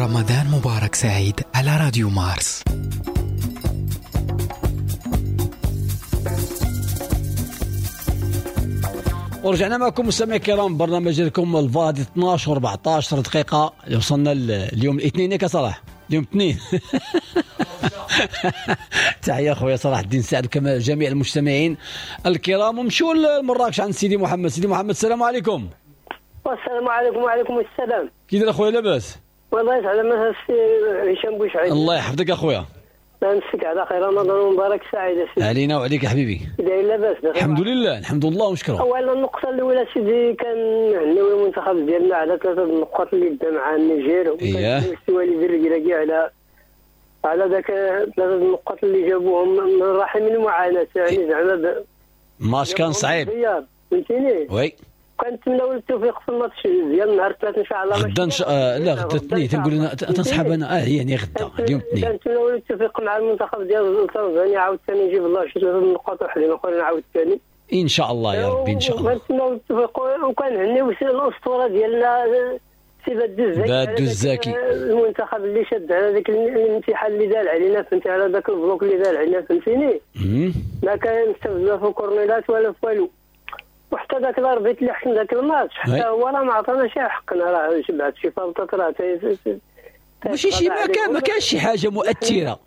رمضان مبارك سعيد على راديو مارس. ورجعنا معكم مستمعي الكرام، برنامج لكم الفاضي 12 و14 دقيقة. وصلنا اليوم الاثنين ياك صلاح، اليوم الاثنين. تحية خويا صلاح الدين سعد كما جميع المستمعين الكرام. ومشوا لمراكش عند سيدي محمد. سيدي محمد السلام عليكم. والسلام عليكم. وعليكم السلام. كي داير اخويا لاباس؟ والله يسعد السي هشام بوشعيب. الله يحفظك اخويا. نمسك على خير. رمضان مبارك سعيد سيدي. علينا وعليك يا حبيبي. داير لاباس؟ الحمد لله، الحمد لله ونشكره. اولا النقطة الاولى سيدي، كنهنيو المنتخب ديالنا على 3 النقاط اللي دا مع النيجر، وكان وليد الركراكي على ذاك 3 النقاط اللي جابوهم من رحم المعاناة، يعني زعما ماتش كان صعيب فهمتيني. oui كنتمناو التوفيق في الماتش ديال نهار الثلاث ان شاء الله. غدا ان شاء لا غدا الاثنين تنقول انا تنسحب انا يعني غدا اليوم الاثنين. كنتمناو التوفيق مع المنتخب ديال تنزانيا عاوتاني، يجيب الله شي 3 النقاط وحدين اخرين عاوتاني ان شاء الله يا ربي ان شاء الله. كنتمناو التوفيق وكنهنيو الاسطورة ديالنا سي بادو الزاكي، المنتخب اللي شد على ذاك الامتحان اللي دار علينا فهمتي، على ذاك ال bloc اللي دار علينا فهمتيني. ما كنستافد لا في كورنيلات ولا في والو، وحتى ذاك ال arbitre اللي حكم ذاك الماتش حتى هو راه ما عطاناش حقنا، راه شبعت شي فلطات راه ماشي شي ما كانش شي حاجة مؤثرة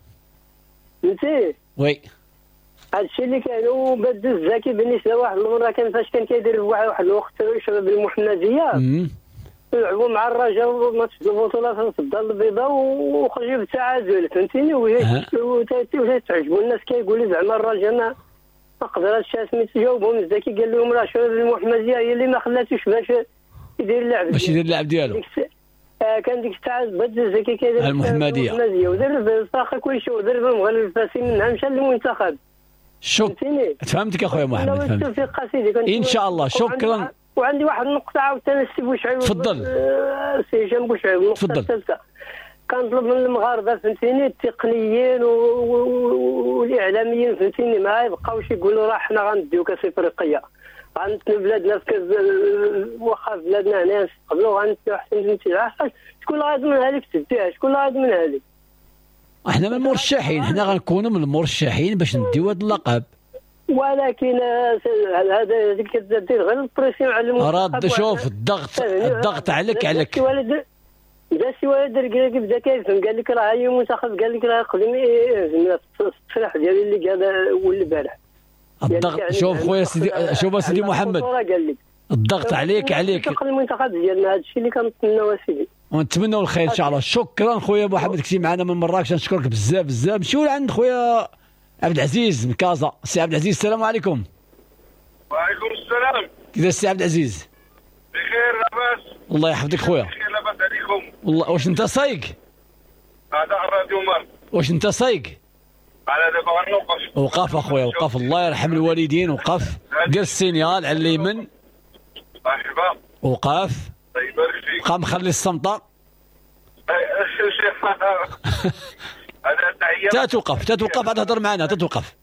فهمتي. oui هادشي اللي كان. وبدو الزاكي بالنسبة لواحد المرة كان فاش كان كيدير واحد الوقت شباب المحمدية لعبوا مع الرجاء ماتش البطولة في الدار البيضاء وخرجوا بالتعادل فهمتيني. وتعجبوا الناس كيقولوا زعما الرجاء ما قدراتش سميتو، جاوبهم الزكي قال لهم راه شباب المحمدية هي اللي ما خلاتوش باش يدير اللعب، باش يدير اللعب ديالو. كان ديك الساعة بدو الزكي كيدير المحمدية ودرب الفرق كلشي، ودرب المغرب الفاسي منها مشى للمنتخب. شكرا، فهمتك اخويا محمد، فهمت ان شاء الله. شكرا. وعندي واحد النقطة عاوتاني السي بوشعيب. تفضل سي هشام بوشعيب. النقطة الثالثة، كنطلب من المغاربة فهمتيني التقنيين والاعلاميين فهمتيني ما يبقاوش يقولوا راه حنا غنديو كاس افريقيا، غنتنو بلادنا في كاس، واخا بلادنا هنا نستقبلوا غنتنو احسن فهمتي. شكون اللي غيضمنها لك تديها؟ شكون اللي غيضمنها لك؟ احنا من المرشحين، حنا غنكونوا من المرشحين باش نديو هذا اللقب، ولكن هذا هذيك كدير غير ال pression على المنتخب. رد شوف الضغط عليك. بدا سي وليد الركراكي بدا كيفهم، قال لك راه هي المنتخب، قال لك راه قدم التصريح ديالي اللي قال البارح. الضغط شوف خويا سيدي، شوف سيدي محمد، الضغط عليك. المنتخب ديالنا هذا الشيء اللي كنتمناو سيدي، ونتمنوا الخير ان شاء الله. شكرا خويا محمد، كنتي معنا من مراكش، نشكرك بزاف بزاف. نمشيو لعند خويا عبد العزيز من كازا. سي عبد العزيز السلام عليكم. وعليكم السلام. كيفاش السي عبد العزيز؟ بخير لاباس. الله يحفظك خويا. بخير لاباس عليكم. والله واش انت سايق؟ هذا الراديو مارس. واش انت سايق؟ على دابا غنوقف. وقف اخويا وقف، الله يرحم الوالدين، وقف. دير ال signal على اليمين. مرحبا. وقف. الله يبارك فيك. بقى مخلي الصمتة. تتوقف تتوقف عاد تهضر معنا، تتوقف.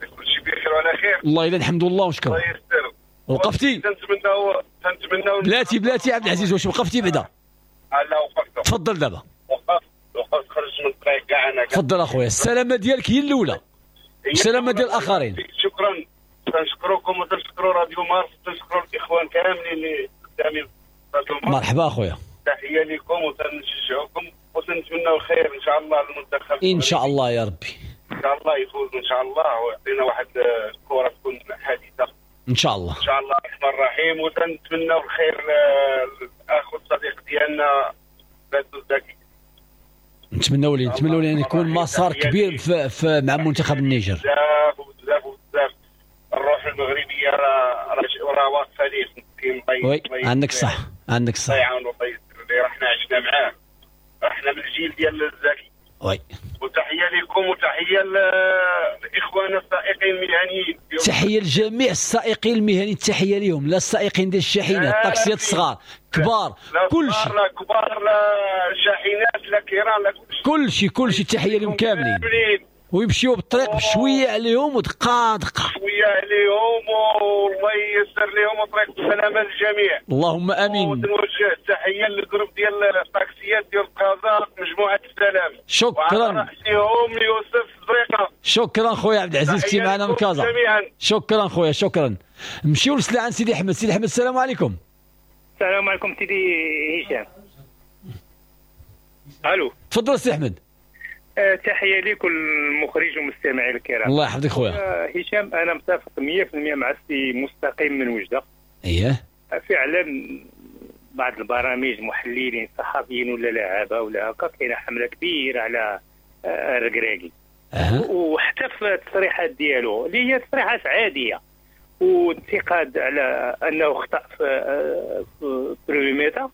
كلشي بخير وعلى خير. والله الا الحمد لله ونشكر. الله يستر. وقفتي؟ تنتمناو بلاتي بلاتي عبد العزيز، واش وقفتي بعدا؟ لا وقفت. تفضل دابا. وقفت خرجت من الطريق كاع انا. تفضل اخويا، السلامة ديالك هي الاولى، السلامة ديال الاخرين. شكرا، تنشكركم وتنشكروا راديو مارس، وتنشكروا الاخوان كاملين اللي خدامين راديو مارس. مرحبا اخويا، تحية لكم وتنشجعكم وتنتمناو الخير ان شاء الله للمنتخب ان شاء الله يا ربي. ان شاء الله يفوز ان شاء الله ويعطينا واحد الكره تكون حديثه ان شاء الله. ان شاء الله الرحمن الرحيم. وتنتمناو الخير للاخ الصديق ديالنا بادو الزكي. نتمناو ليه، نتمناو ليه يكون مسار كبير في مع منتخب النيجر. بزاف وبزاف وبزاف. الروح المغربية راه واقفة ليه. oui عندك صح، عندك صح. الله يعاونو الله يستر ليه، راه حنا عشنا معاه، راه حنا من الجيل ديال الزكي. oui وتحية لكم وتحية لاخواننا السائقين المهنيين. تحية لجميع السائقين المهنيين، تحية لهم، لا السائقين ديال الشاحنات، الطاكسيات الصغار، كبار، كلشي، لا كبار لا شاحنات لا كيران لا كلشي، كلشي تحية لهم كاملين. ويمشيو بالطريق بشوية عليهم ودقة دقه، شوية عليهم، والله ييسر لهم وطريق السلامة للجميع. اللهم امين. ونوجه تحية لل groupe ديال الطاكسيات ديال كازا مجموعة السلام. شكرا. وعلى راسهم يوسف زريقه. شكرا خويا عبد العزيز، كنتي معنا من كازا. شكرا خويا، شكرا. نمشيو لسلا عند سيدي احمد. سيدي احمد السلام عليكم. السلام عليكم سيدي هشام. الو، تفضل سي احمد. تحية لكل المخرج والمستمعين الكرام. الله يحفظك خويا. هشام انا متفق 100% مع السي مستقيم من وجده. اييه فعلا بعض البرامج محللين صحفيين ولا لعابه ولا هكا كاينه حمله كبيرة على الركراكي. وحتى في التصريحات ديالو اللي هي تصريحات عادية وانتقاد على انه خطا في première mi-temps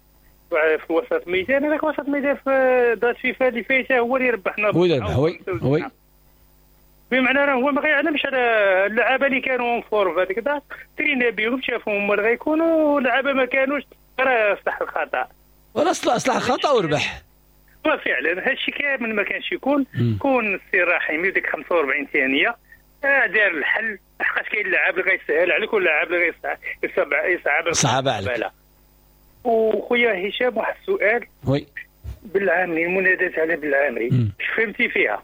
في وسط الميدان. هذاك وسط الميدان في date فيفا اللي فايته هو اللي ربحنا، هو اللي ربح. oui oui، بمعنى راه هو ما غيعلمش على اللعابه اللي كانوا en forme في هذيك ال date، ترينا بهم شافهم هما اللي غيكونوا، اللعابه ما كانوش، راه صلح الخطا، ولا صلح الخطا وربح. وفعلا هادشي كامل ما كانش يكون. كون السي رحيمي ديك 45 ثانية دار الحل، لحقاش كاين اللاعب اللي غيسهل عليك واللاعب اللي غيصعب صعب عليك. وخويا هشام واحد السؤال. oui بالعامري، المنادات على بالعامري اش فهمتي فيها؟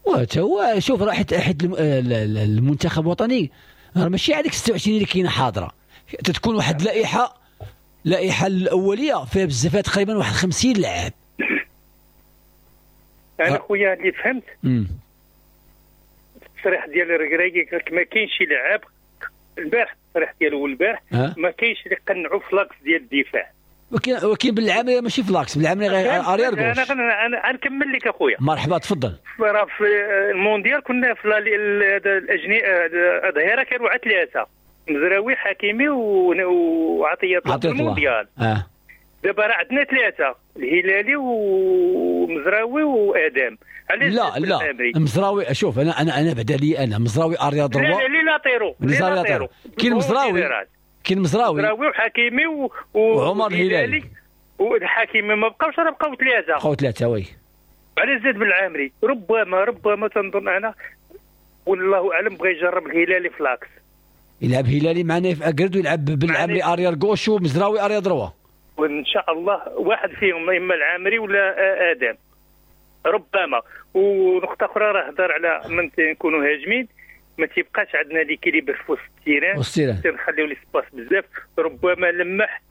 هو شوف راه حيت المنتخب الوطني راه ماشي عليك 26 اللي كاينه حاضره، تتكون واحد اللائحة الاولية فيها بزاف تقريبا واحد 50 لاعب. انا خويا اللي فهمت التصريح ديال الركراكي قال لك ما كاينش شي لاعب البارح، التصريح ديالو البارح ما كاينش اللي قنعوا في l'axe ديال الدفاع. ولكن بالعامري ماشي في l'axe، بالعامري غير arrière gauche. انا نكمل لك اخويا. مرحبا تفضل. راه في المونديال كنا في الاجنحة الظهيرة كانوا على ثلاثة. مزراوي حكيمي وعطية الله في المونديال. دابا راه عندنا ثلاثة، الهلالي ومزراوي وادم. علاش لا لا مزراوي؟ شوف انا بعدا لي انا مزراوي arrière droit. لا les latéraux، les latéraux كاين مزراوي، كاين مزراوي وحكيمي وعمر الهلالي والحكيمي ما بقاوش، راه بقاو ثلاثة. بقاو ثلاثة oui. علاش زاد بالعامري؟ ربما تنظن انا والله اعلم بغى يجرب الهلالي ف l'axe، يلعب هلالي مع نايف اكرد ويلعب بالعامري arrière gauche ومزراوي arrière droit، وان شاء الله واحد فيهم اما العامري ولا ادم ربما. ونقطة اخرى راه هضر على من نكونوا هاجمين ما تيبقاش عندنا l'équilibre في وسط ال terrain، تنخليو l'espace بزاف. ربما لمح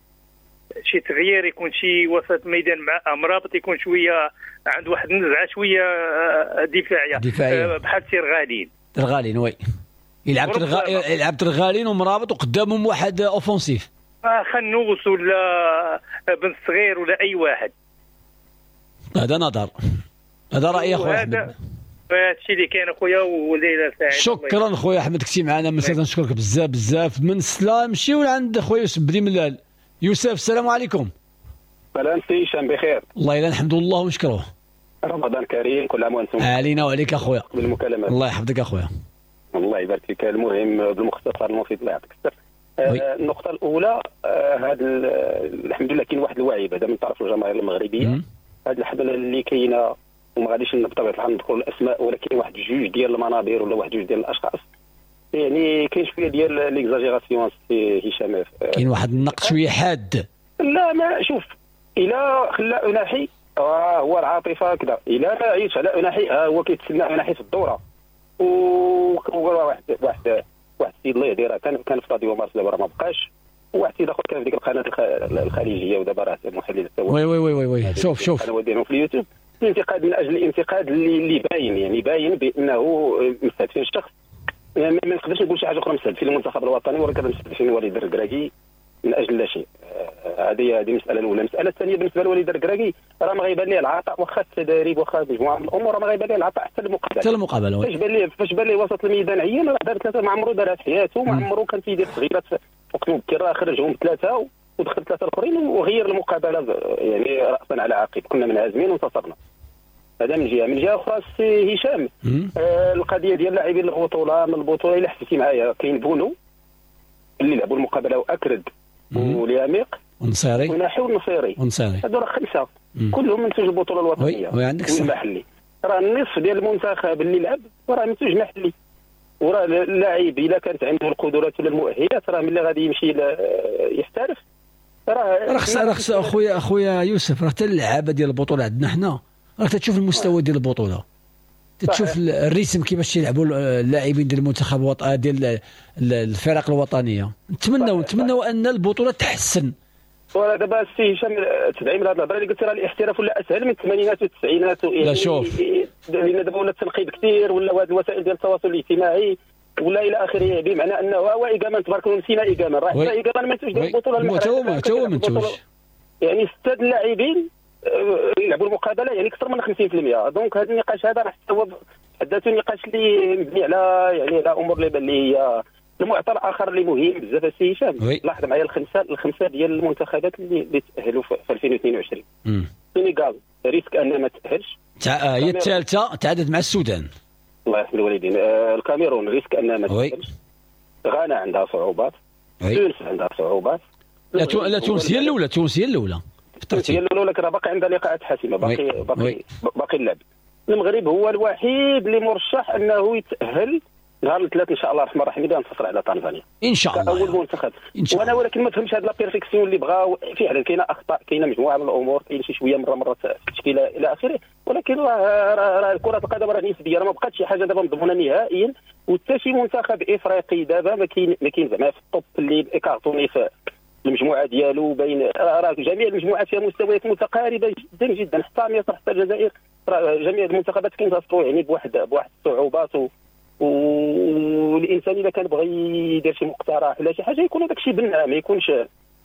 شي تغيير، يكون شي وسط ميدان مع امرابط يكون شوية عنده واحد النزعة شوية دفاعية بحال تيرغالين. ترغالين oui، يلعب ترغالين ومرابط وقدامهم واحد offensif، خنوس ولا بن صغير ولا اي واحد. هذا نظر، هذا راي اخويا احمد. هادشي اللي كاين اخويا، وليلة سعيدة. شكرا خويا احمد، كنتي معنا من سلا، نشكرك بزاف بزاف. من سلا نمشيو لعند خويا يوسف بني ملال. يوسف السلام عليكم. سلام سي هشام، بخير الله يلا الحمد لله ونشكروه. رمضان كريم، كل عام وانتم علينا وعليك اخويا. بالمكالمات الله يحفظك اخويا. الله يبارك فيك. المهم بالمختصر المفيد الله يعطيك الصحة. النقطة الأولى، هذا الحمد لله كاين واحد الوعي بعدا من طرف الجماهير المغربية. هذه الحملة اللي كاينة، وما غاديش بطبيعة الحال نذكر الأسماء، ولكن واحد جوج ديال المنابر ولا واحد جوج ديال الأشخاص، يعني كاين شوية ديال l'exagération سي هشام، كاين واحد النقد شوية حاد. لا ما شوف، إلا خلى أناحي هو العاطفة كذا، إلا ما عيش على أناحي هو كيتسنى أناحي في الدورة. وواحد واحد واحد السيد الله يهديه راه كان في راديو مارس، دابا راه ما بقاش. وواحد السيد اخر كان في ديك القناة الخليجية ودابا راه محلل oui oui oui oui شوف شوف القناة ديالهم في اليوتيوب. الانتقاد من اجل الانتقاد اللي باين، يعني باين بانه مستهدفين الشخص. يعني ما نقدرش نقول شي حاجة اخرى، مستهدفين المنتخب الوطني ولكن مستهدفين وليد الركراكي من اجل لا شيء. هذه المسالة الاولى. المسالة الثانية بالنسبة لوليد الركراكي راه ما غيبان ليه العطاء، واخا التدريب واخا مجموعة من الامور راه ما غيبان ليه العطاء حتى المقابلة. حتى المقابلة فاش بان ليه وسط الميدان عيان، راه دار ثلاثة، ما عمرو دارها في حياته، ما عمرو كان تيدير تغييرات وقت مبكر، راه خرجهم ثلاثة ودخل ثلاثة الاخرين وغير المقابلة يعني راسا على عقب. كنا منهزمين وانتصرنا. هذا من جهة. من جهة اخرى السي هشام، القضية ديال لاعبين البطولة، من البطولة الا حسيتي معايا كاين بونو اللي لعبوا المقابلة واكرد ولياميق ونصيري وناحي ونصيري، هادو راه خمسة كلهم منتوج البطولة الوطنية والمحلي. راه النصف ديال المنتخب اللي لعب راه منتوج محلي، وراه اللاعب الا كانت عنده القدرات ولا المؤهلات راه ملي غادي يمشي يحترف راه خص اخويا يوسف، راه حتى اللعابه ديال البطولة عندنا حنا راه تشوف المستوى ديال البطولة، تشوف ال rythme كيفاش يلعبوا اللاعبين ديال المنتخب الوطني ديال الفرق الوطنية. نتمنوا ان البطولة تحسن. وراه دابا السي هشام تدعيم لهذه الهضرة اللي قلت، راه الاحتراف ولا اسهل من الثمانينات والتسعينات. لا شوف، لان دابا ولا التنقيب كثير، ولا هذه الوسائل ديال التواصل الاجتماعي ولا الى اخره، بمعنى انه هو ايكامان تبارك الله نسينا ايكامان، راه حتى ايكامان ما منتوج ديال البطولة. حتى هو منتوج، يعني 6 اللاعبين يلعبوا المقابلة يعني اكثر من 50%. donc هذا النقاش هذا راه حتى هو حداته نقاش اللي مبني على يعني على امور اللي هي المعطى الاخر اللي مهم بزاف السي هشام. لاحظ معايا الخمسة ديال المنتخبات اللي تاهلوا في 2022. السنغال risque انها ما تاهلش، هي الثالثة تعادلت مع السودان الله يرحم الوالدين. الكاميرون risque انها ما تاهلش، غانا عندها صعوبات، تونس عندها صعوبات. لا تونس هي الاولى، تونس هي الاولى هي الاولى، ولكن راه باقي عندها لقاءات حاسمة، باقي باقي باقي اللعب. المغرب هو الوحيد اللي مرشح انه يتاهل نهار الثلاث ان شاء الله الرحمن الرحيم، اذا ننتصر على تنزانيا ان شاء الله اول منتخب. وانا ولكن ما فهمتش هاد la perfection اللي بغاو. فعلا كاينه اخطاء، كاينه مجموعة من الامور، كاين شي شوية مرة التشكيلة الى اخره، ولكن راه كره القدم راه نسبيه، راه ما بقاتش شي حاجة دابا مضمونه نهائيا. وحتى شي منتخب افريقي دابا ما كاين زعما في ال top اللي écartonné في المجموعة ديالو، بين راه جميع المجموعات فيها مستويات متقاربة جدا جدا، حتى مصر حتى الجزائر، راه جميع المنتخبات كينتصروا يعني بواحد الصعوبات. والانسان اذا كان بغى يدير شي مقترح ولا شي حاجة يكون هذاك الشيء بناء، ما يكونش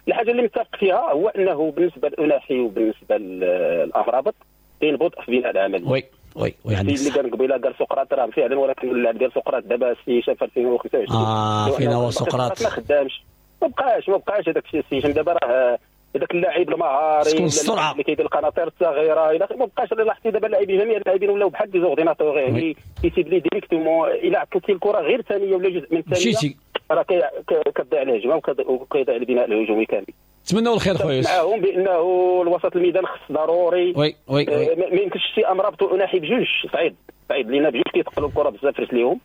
الحاجة اللي متفق فيها هو انه بالنسبة لأناحي وبالنسبة للامرابط كاين بطء في بناء العمل. oui oui oui عندك اللي قال قبيلة قال سقراط راه فعلا، ولكن اللاعب ديال سقراط دابا السي هشام في 2025 فينا هو سقراط ما خدامش، ما بقاش هذاك الشيء السي هشام. دابا راه هذاك اللاعب المهاري اللي كيدير القناطير الصغيرة الى ما بقاش. اللي لاحظتي دابا اللاعبين جميع اللاعبين ولاو بحال des ordinateurs، يعني كيسيب لي directement. الا عطلتي الكره غير ثانية ولا جزء من ثانية راه كتضيع الهجمة وكيضيع البناء الهجومي كامل. نتمنوا الخير خويا يوسف معاهم بانه الوسط الميدان خص ضروري. oui oui ما يمكنش شي امرابط واناحي بجوج، صعيب لينا بجوج كيتقلوا الكره بزاف في رجليهم،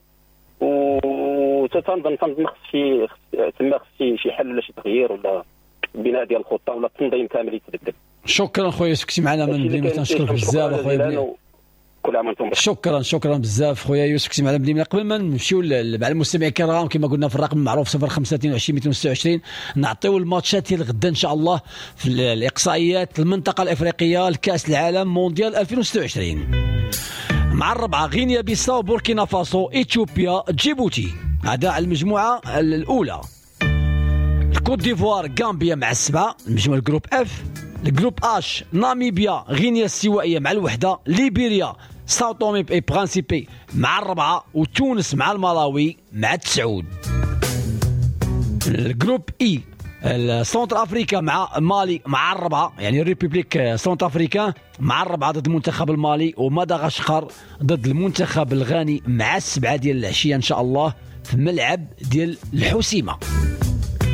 وتنظن خص شي تما خص شي حل ولا شي تغيير ولا البناء ديال الخطة ولا التنظيم كامل يتبدل. شكرا خويا يوسف، كنتي معنا من ديما، تنشكرك بزاف اخويا. كل عام وانتم بخير. شكرا بزاف خويا يوسف، كنتي معنا من قبل ما نمشيو مع المستمعين الكرام كما قلنا في الرقم المعروف 05 22 226 نعطيو الماتشات ديال غدا ان شاء الله في الاقصائيات المنطقة الافريقية لكاس العالم مونديال 2026. مع الربعه غينيا بيساو، بوركينا فاسو، اثيوبيا، جيبوتي، هذا على المجموعة الاولى. الكوت ديفوار، غامبيا مع السبعة، المجموعة ال groupe F. ال groupe H ناميبيا، غينيا الاستوائيه مع الوحدة، ليبيريا، ساو تومي اي برانسيبي مع الربعه، وتونس مع الملاوي مع التسعود. ال groupe I سنتر افريكا مع مالي مع الربعه، يعني ال République centrafricaine مع الربعه ضد المنتخب المالي، ومدغشقر ضد المنتخب الغاني مع السبعة ديال العشية ان شاء الله في ملعب ديال الحسيمه.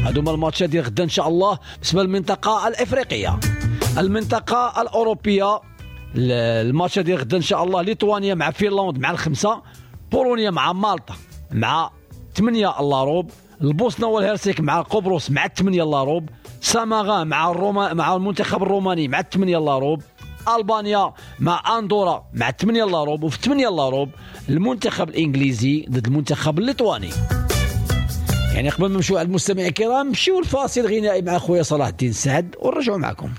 هادو هما الماتشات ديال غدا ان شاء الله بالنسبة للمنطقة الافريقية. المنطقة الاوروبية الماتش ديال غدا ان شاء الله ليتوانيا مع فنلند مع الخمسة، بولونيا مع مالطا مع 8 إلا ربع، البوسنة والهرسك مع قبرص مع 8 إلا ربع، ساماغا مع الروما مع المنتخب الروماني مع 8 إلا ربع، البانيا مع اندورا مع 8 إلا ربع، وفي 8 إلا ربع المنتخب الانجليزي ضد المنتخب الليتواني. يعني قبل ما نمشيو على المستمعين الكرام نمشيو الفاصل الغنائي مع خويا صلاح الدين سعد ونرجعوا معكم.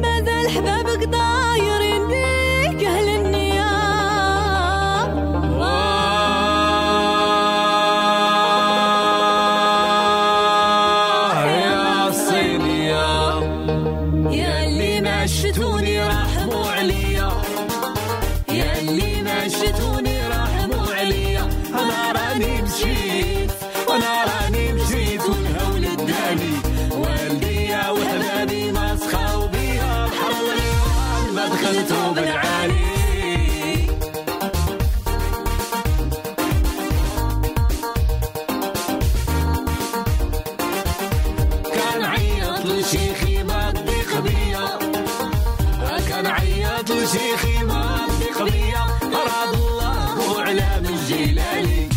مازال حبابك دايرين بيك اهل النيام، يا الصينية يا اللي ما شتوني رحموا عليا، يا اللي ما شتوني رحموا عليا، انا راني مشيت وانا راني مشيت والهول الداني والديا وحبابي ما سخاو بيا، بحر الغيوان ما دخلتو بالعالي. كان عيط لشيخي ما تضيق بيا، كان عيط لشيخي ما تضيق بيا، أراد الله وعلام الجلالي،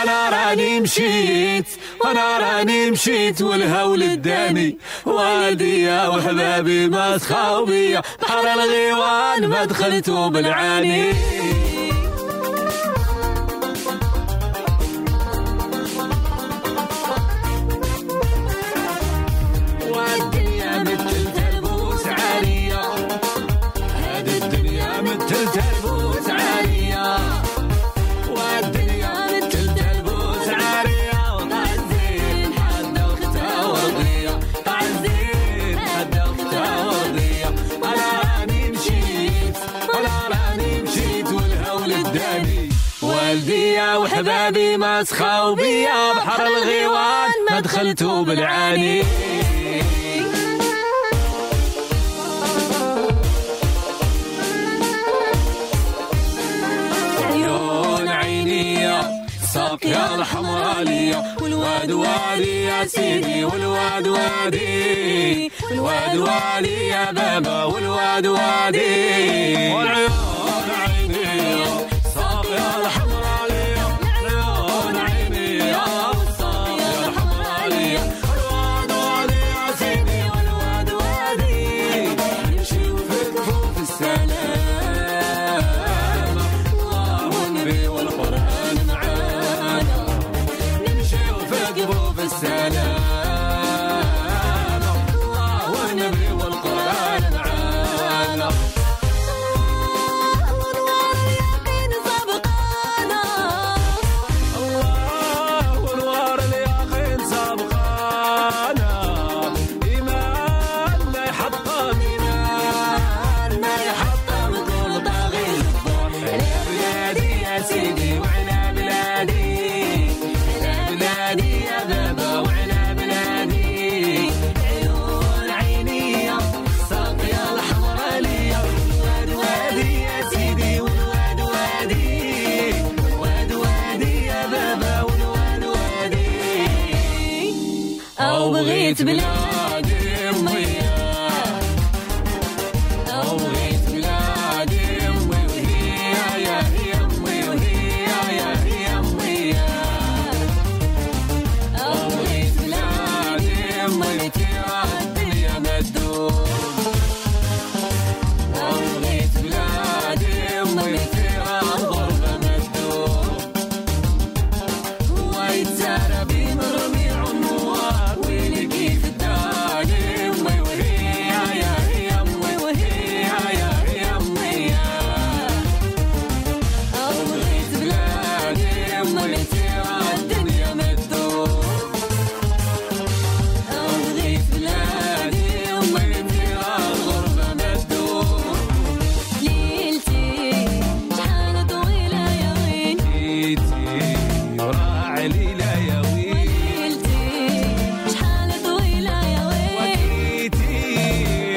أنا راني مشيت أنا راني مشيت والهول الداني والديا وحبابي ما سخاو بيا، بحر الغيوان ما دخلتو بالعاني. والدنيا مثل تربوس عارية، هاد الدنيا مثل تربوس عارية، والدنيا مثل تربوس عارية، وطع الزين حدا وختها ورضية، طع الزين حدا وختها ورضية، أنا راني مشيت أنا راني مشيت والهول الداني والديا وحبابي ما سخاو بيا، بحر الغيوان ما دخلتو بالعاني. عيون عينيا ساقيا الحمرالية، والواد وادي يا سيدي، والواد وادي، والواد وادي يا بابا، والواد وادي. والعيون عينيا ساقيا الحمرالية، عيون عينيا ساقيا الحمرالية، والواد وادي يا سيدي، والواد وادي، نمشيو في كفوف السلام، الله والنبي والقرآن معانا، نمشيو في كفوف السلام، الله والنبي والقرآن معانا. أو بغيت بلادي أمي، أو بغيت بلادي أمي، وهي يا هي أمي، وهي يا هي أمي، أو بغيت بلادي أمي ترى الدنيا ما تدوم، أو بغيت بلادي أمي ترى الغربة ما تدوم، ويتزارى بمرمي عنوار ويلي كيف الداني أمي، وهي يا هي أمي، وهي يا هي أمي، أو بغيت بلادي أمي ترى الدنيا ما تدوم، أو بغيت بلادي أمي ترى الغربة ما تدوم. ليلتي شحال طويلة يا وين، ليلتي وراعي ليلة يا وين، ليلتي شحال طويلة يا وين، وكيتي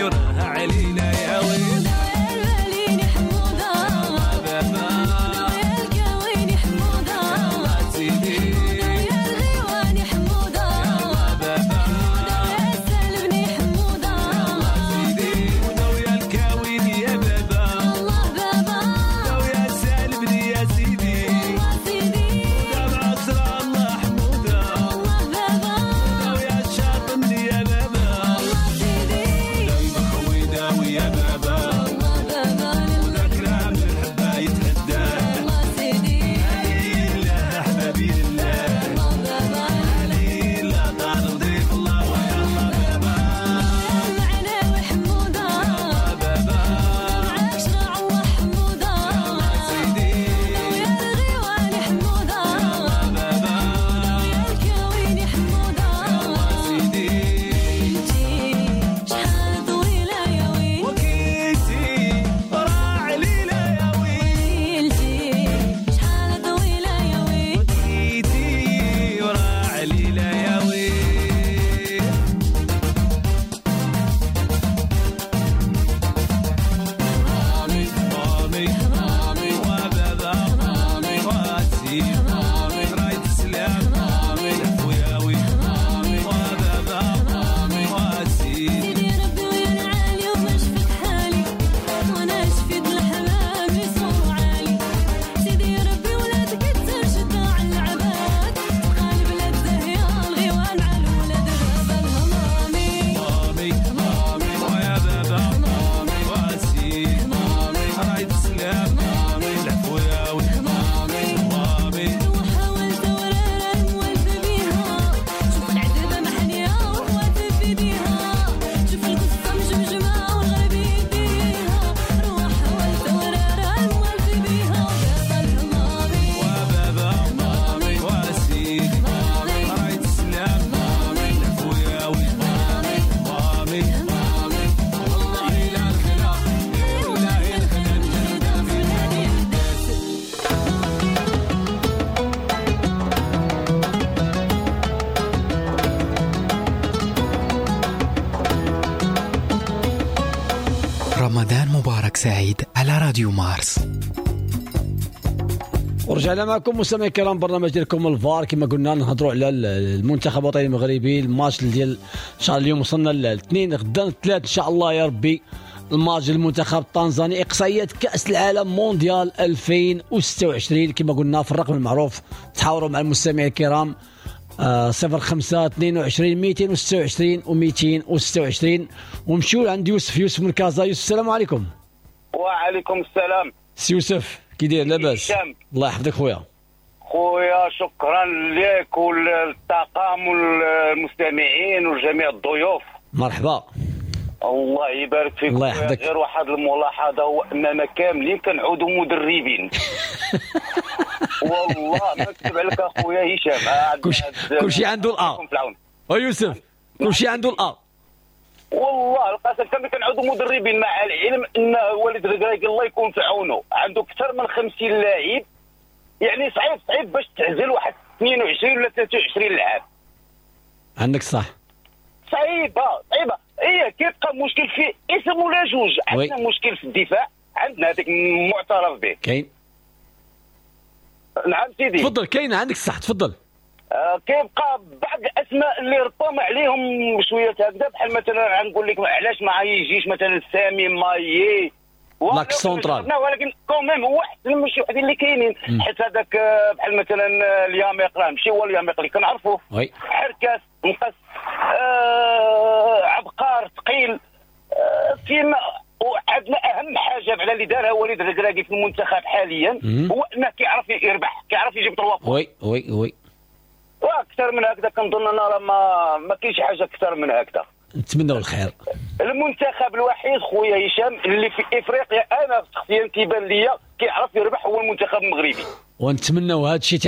وراعي ليلة يا وين، الباليني حمودة، بابا يا الكويني حمودة، سيدي يا الغيواني حمودة، بابا يا السالبني حمودة، سيدي ودويا الكاويني يا بابا، الله بابا ودويا سالبني يا سيدي، الله سيدي، ودمع عسرى الله حمودة، الله بابا ودويا الشاطمني يا بابا، الله سيدي، دايما خوي داوي يا بابا، الله بابا وذاك من الحبة يتحداه، الله سيدي، لله أحبابي لله، الله بابا لله طال وضيف الله ويا الله بابا، المعناوي حمودة، بابا معاك شرع الله حمودة، سيدي يا الغيواني حمودة، بابا يا الكويني حمودة، سيدي ليلتي شحال طويلة يا وين، وكيتي راعي ليلة يا وين، ليلتي شحال طويلة يا وين، وكيتي وراعي ليلة يا وين. مامي مامي مامي وبابا مامي واسيد مامي رايت السلام مامي العفوياوي مامي وبابا مامي واسيد سيدي ربي ويا العالي وما شفت حالي، وانا شفت الحمام يصور عالي، سيدي ربي ولا تكتر شدة على العباد، تبقى البلاد زاهية الغيوان على الولاد بابا الهمامي مامي مامي ويا بابا مامي واسيد مامي رايت السلام مامي العفوياوي مامي مامي وحاولت ورارة موالفة بيها، شوف العذبة محنية وخواتي في ايديها، شوف القصة مجمجمة والغرب يديها، روح حاولت ورارة موالفة بيها، وبابا الهمامي وبابا مامي واسيد مامي رايت السلام مامي العفوياوي مامي مامي مامي والله لا الخلا والله الخلا مجردة في بلادي حداث. رمضان مبارك سعيد على راديو مارس. ورجعنا معكم مستمعي الكرام، برنامج ديالكم الفار. كما قلنا نهضروا على المنتخب الوطني المغربي، الماتش ديال ان شاء الله اليوم وصلنا للاثنين، غدا الثلاث ان شاء الله يا ربي، الماتش ديال المنتخب التنزاني، اقصائيات كاس العالم مونديال 2026. كما قلنا في الرقم المعروف تحاوروا مع المستمعين الكرام 05 22 226 و 226. ومشيو عند يوسف، يوسف من كازا. يوسف السلام عليكم. وعليكم السلام. سي يوسف كي داير؟ لاباس؟ هشام. الله يحفظك خويا. خويا شكرا لك وللطاقم والمستمعين وجميع الضيوف. مرحبا. الله يبارك فيك. الله خويا. يحفظك. غير واحد الملاحظة، هو اننا كاملين كنعودوا مدربين. والله ما نكذب عليك اخويا هشام، كلشي عنده الأ. يكون في العون. او يوسف كلشي عنده الأ. والله القسم كامل كنعودوا مدربين، مع العلم ان وليد الركراكي الله يكون في عونه عنده اكثر من 50 لاعب، يعني صعيب باش تعزل واحد 22 ولا 23 لاعب. عندك صح. صعيبة. ايه كيبقى مشكل في اسم ولا جوج، عندنا مشكل في الدفاع، عندنا هذاك معترف به. كاين. نعم سيدي تفضل. كاين عندك الصح، تفضل. كيبقى بعض الاسماء اللي ربما عليهم شوية هكذا، بحال مثلا غنقول لك علاش ما يجيش مثلا سامي مايي l'axe central، ولكن quand même هو احسن من شي وحدين اللي كاينين، حيت هذاك بحال مثلا الياميق راه ماشي هو الياميق اللي كنعرفوه، حركاس نقص، عبقار ثقيل. فيما وعندنا اهم حاجة بعدا اللي دارها وليد الركراكي في المنتخب حاليا هو انه كيعرف يربح، كيعرف يجيب 3 oui oui oui، واكثر من هكذا كنظن انا راه ما كاينش حاجة اكثر من هكذا. نتمنوا الخير. المنتخب الوحيد خويا هشام اللي في افريقيا انا شخصيا كيبان ليا كيعرف يربح هو المنتخب المغربي، ونتمنوا هذا الشيء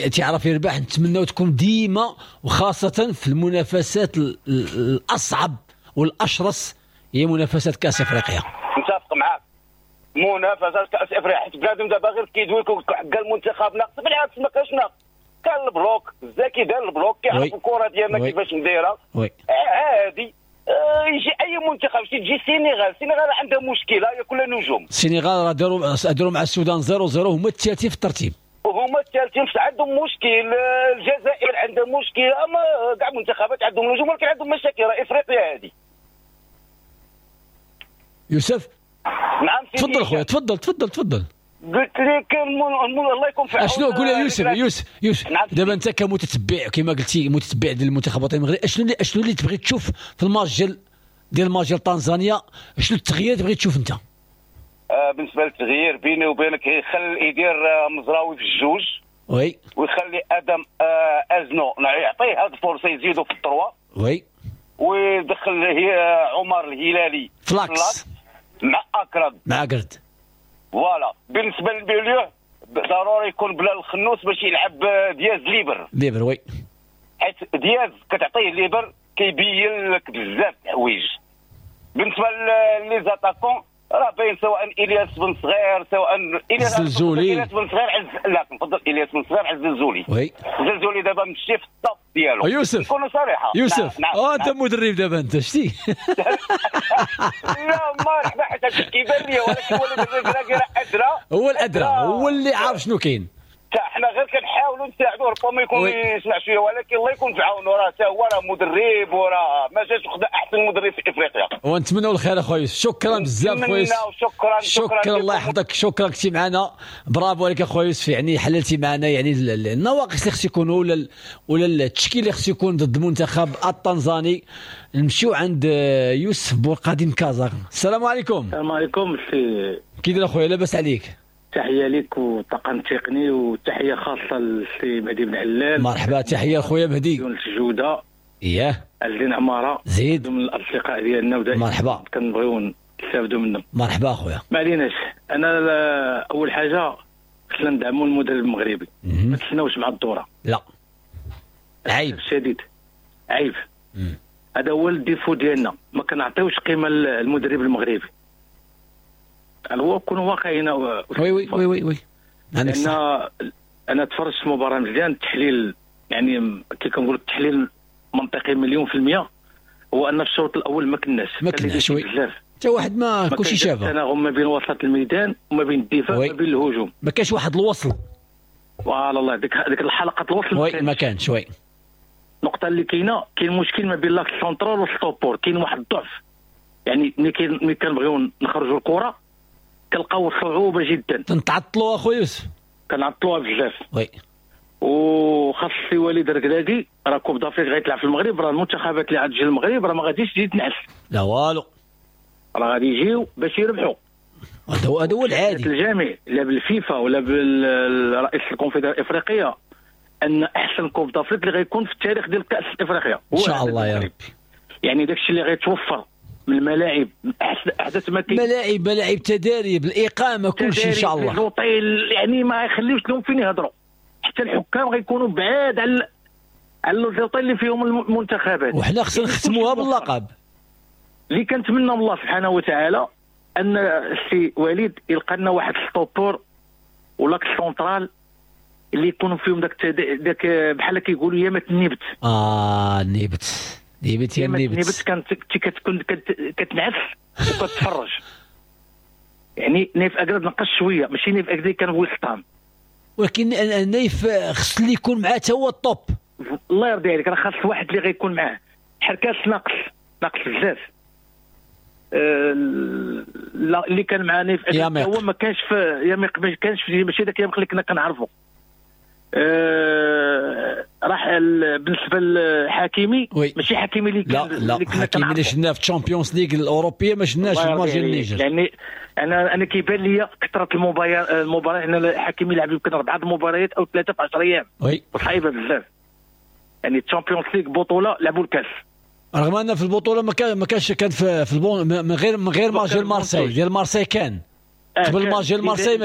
تعرف يربح. نتمنوا تكون ديما، وخاصة في المنافسات الاصعب والاشرس هي منافسات كاس افريقيا. متفق معاك، منافسات كاس افريقيا، حيت بنادم دابا غير كيدوي لك حق المنتخب ناقص، بالعكس ما كاينش ناقص، كان ال bloc الزكي دار ال bloc، كيعرف الكره ديالنا كيفاش نديرها عادي. يجي اي منتخب، تجي السنغال، السنغال عندها مشكلة هي كلها نجوم. السنغال راه داروا مع السودان 0-0، هما الثالثين في الترتيب، وهما الثالثين عندهم مشكل. الجزائر عندها مشكل، اما كاع المنتخبات عندهم نجوم ولكن عندهم مشاكل. راه افريقيا هذه. يوسف نعم تفضل خويا، تفضل تفضل تفضل. قلت لك الله يكون في عونك. اشنو قول يا يوسف؟ يوسف يوسف نعم. دابا انت كمتتبع كما قلتي متتبع ديال المنتخب الوطني المغربي، اشنو اللي تبغي تشوف في الماتش ديال الماتش ديال تنزانيا؟ شنو التغيير تبغي تشوف انت؟ بالنسبة للتغيير بيني وبينك يخلي يدير مزراوي في الجوج، oui، ويخلي ادم ازنو يعطيه هذه الفرصة يزيدو في ال droite، oui، ويدخل عمر الهلالي ف l'axe مع اكرد مع اكرد. voilà. بالنسبة لل milieu ضروري يكون بلال الخنوس باش يلعب دياز libre. libre oui، حيت دياز كتعطيه libre كيبين لك بزاف الحوايج. بالنسبة les attaquants راه باين، سواء الياس بن صغير، سواء الياس بن صغير لا نفضل الياس بن صغير على الزلزولي. oui، الزلزولي دابا مشي في ال top ديالو. يوسف نكونوا صريحه يوسف. نعم. انت مدرب دابا انت شتي. لا مرحبا، حيت هادشي كيبان لي، ولكن هو الركراكي راه ادرى، هو الادرى، هو اللي عارف شنو كاين. حنا غير كنحاولوا نساعدوه، ربما يكون يسمع شوية، ولكن الله يكون في عونه، راه حتى هو راه مدرب وراه ما جاش خدا احسن مدرب في افريقيا. ونتمنوا الخير اخويا يوسف، شكرا بزاف خويا يوسف، شكرا شكرا الله يحفظك، شكرا كنتي معنا، برافو عليك اخويا يوسف، يعني حللتي معنا يعني النواقص اللي خص يكونوا ولا التشكيل اللي خص يكون ضد المنتخب التنزاني. نمشيو عند يوسف بورقادي من كازا. السلام عليكم. السلام عليكم سي، كي داير اخويا؟ لاباس عليك؟ تحية لك والطاقم التقني، وتحية خاصة للسي مهدي بن علال. مرحبا، تحية لخويا مهدي. يونس جوده، اياه، الدين عمارة، زيد من الاصدقاء ديالنا، ودائما مرحبا كنبغيو نستافدوا منهم. مرحبا اخويا. ما عليناش، انا اول حاجة خصنا ندعموا المدرب المغربي، ما تسناوش مع الدورة. لا عيب شديد، عيب. هذا هو ال défaut ديالنا، ما كنعطيوش قيمة للمدرب المغربي. هو كونوا واقعيين. oui oui oui oui oui. انا تفرجت في المباراة مزيان، التحليل يعني كي كنقول التحليل منطقي 100%، هو ان في الشوط الاول ما كناش oui حتى واحد ما كلشي شافه، تناغم ما بين وسط الميدان وما بين الدفاع وما بين الهجوم، ما كانش واحد الوصل. voilà الله، ديك الحلقة الوصل oui ما كانش. oui النقطة اللي كاينه، كاين مشكل ما بين l'axe central وال stoppeur، كاين واحد الضعف، يعني ملي كنبغيو نخرجوا الكره كنلقاو صعوبة جدا، تنتعطلوا اخويا يوسف، كنعطلوها بزاف. oui، وخاص السي وليد الركراكي راه Coupe d'Afrique غيطلع في المغرب، راه المنتخبات اللي غتجي للمغرب راه ما غاديش تجي تنعس، لا والو، راه غادي يجيو باش يربحوا. هذا هو العادي الجامع، لا بالفيفا ولا بالرئيس الكونفدراليه الافريقية، ان احسن Coupe d'Afrique اللي غيكون في التاريخ ديال كاس افريقيا ان شاء الله يا ربي. يعني داكشي اللي غيتوفر من الملاعب، من احدث ما كاين، ملاعب تداريب، الاقامة، كل شيء ان شاء الله، l'hôtel، يعني ما يخليوش لهم فين يهضروا، حتى الحكام غيكونوا بعاد على l'hôtel اللي فيهم المنتخبات. وحنا خصنا نختموها باللقب. اللي كنتمنى من الله سبحانه وتعالى ان السي وليد يلقى لنا واحد stoppeur ولا سونترال اللي يكونوا فيهم داك بحال كيقولوا يامات النبت. النبت نيبت يا نيبت، نيبت كانت كتكون كتنعس وكتفرج. يعني نيف اكرد نقص شوية، ماشي نيف اكرد كان وسطام، ولكن نيف خص اللي يكون معاه حتى هو ال top. الله يرضي عليك، راه خاص واحد اللي غيكون معاه. حركاس ناقص بزاف. اللي كان معنا في هو ما كانش في ياميق، ما كانش في، ماشي داك ياميق اللي كنا كنعرفو. راح بالنسبة لحكيمي ماشي حكيمي اللي كان، لا حكيمي اللي شفناه في الشامبيونز ليغ الاوروبية ما شفناش في الماتش ديال النيجر. يعني انا كيبان لي كثرة المباريات، ان حكيمي لعب يمكن 4 المباريات او 3 في 10 ايام، وصعيبه بزاف. يعني الشامبيونز ليغ بطوله لعبوا الكاس، رغم ان في البطولة ما كانش، كان في ال banc من غير ماتش ديال مارسيل، ديال مارسيل كان قبل ماتش ديال مارسيل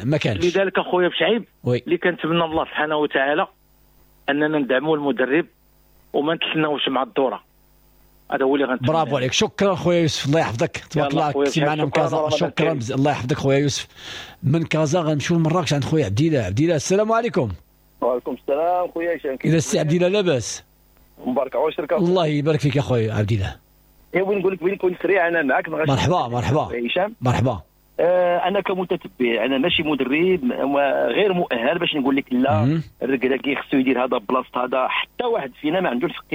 ما كانش. لذلك اخويا بشعيب اللي كنتمنى الله سبحانه وتعالى اننا ندعموا المدرب وما نتسناوش مع الدورة. هذا هو اللي غنتمنى. برافو عليك، شكرا خويا يوسف، الله يحفظك، تبارك الله كنتي معنا من كازا. شكرا بزاف، الله يحفظك خويا يوسف. من كازا غنمشيو لمراكش عند خويا عبد الله. عبد الله السلام عليكم. وعليكم السلام خويا هشام. الى السي عبد الله لاباس؟ مبارك عواشرك. الله يبارك فيك يا خويا عبد الله. ايوا نقول لك بغيت نكون سريع انا معاك. مرحبا مرحبا هشام. مرحبا. انا كمتتبع، انا ماشي مدرب غير مؤهل باش نقول لك لا الركراكي خصو يدير هذا بلاصة هذا، حتى واحد فينا ما عنده الحق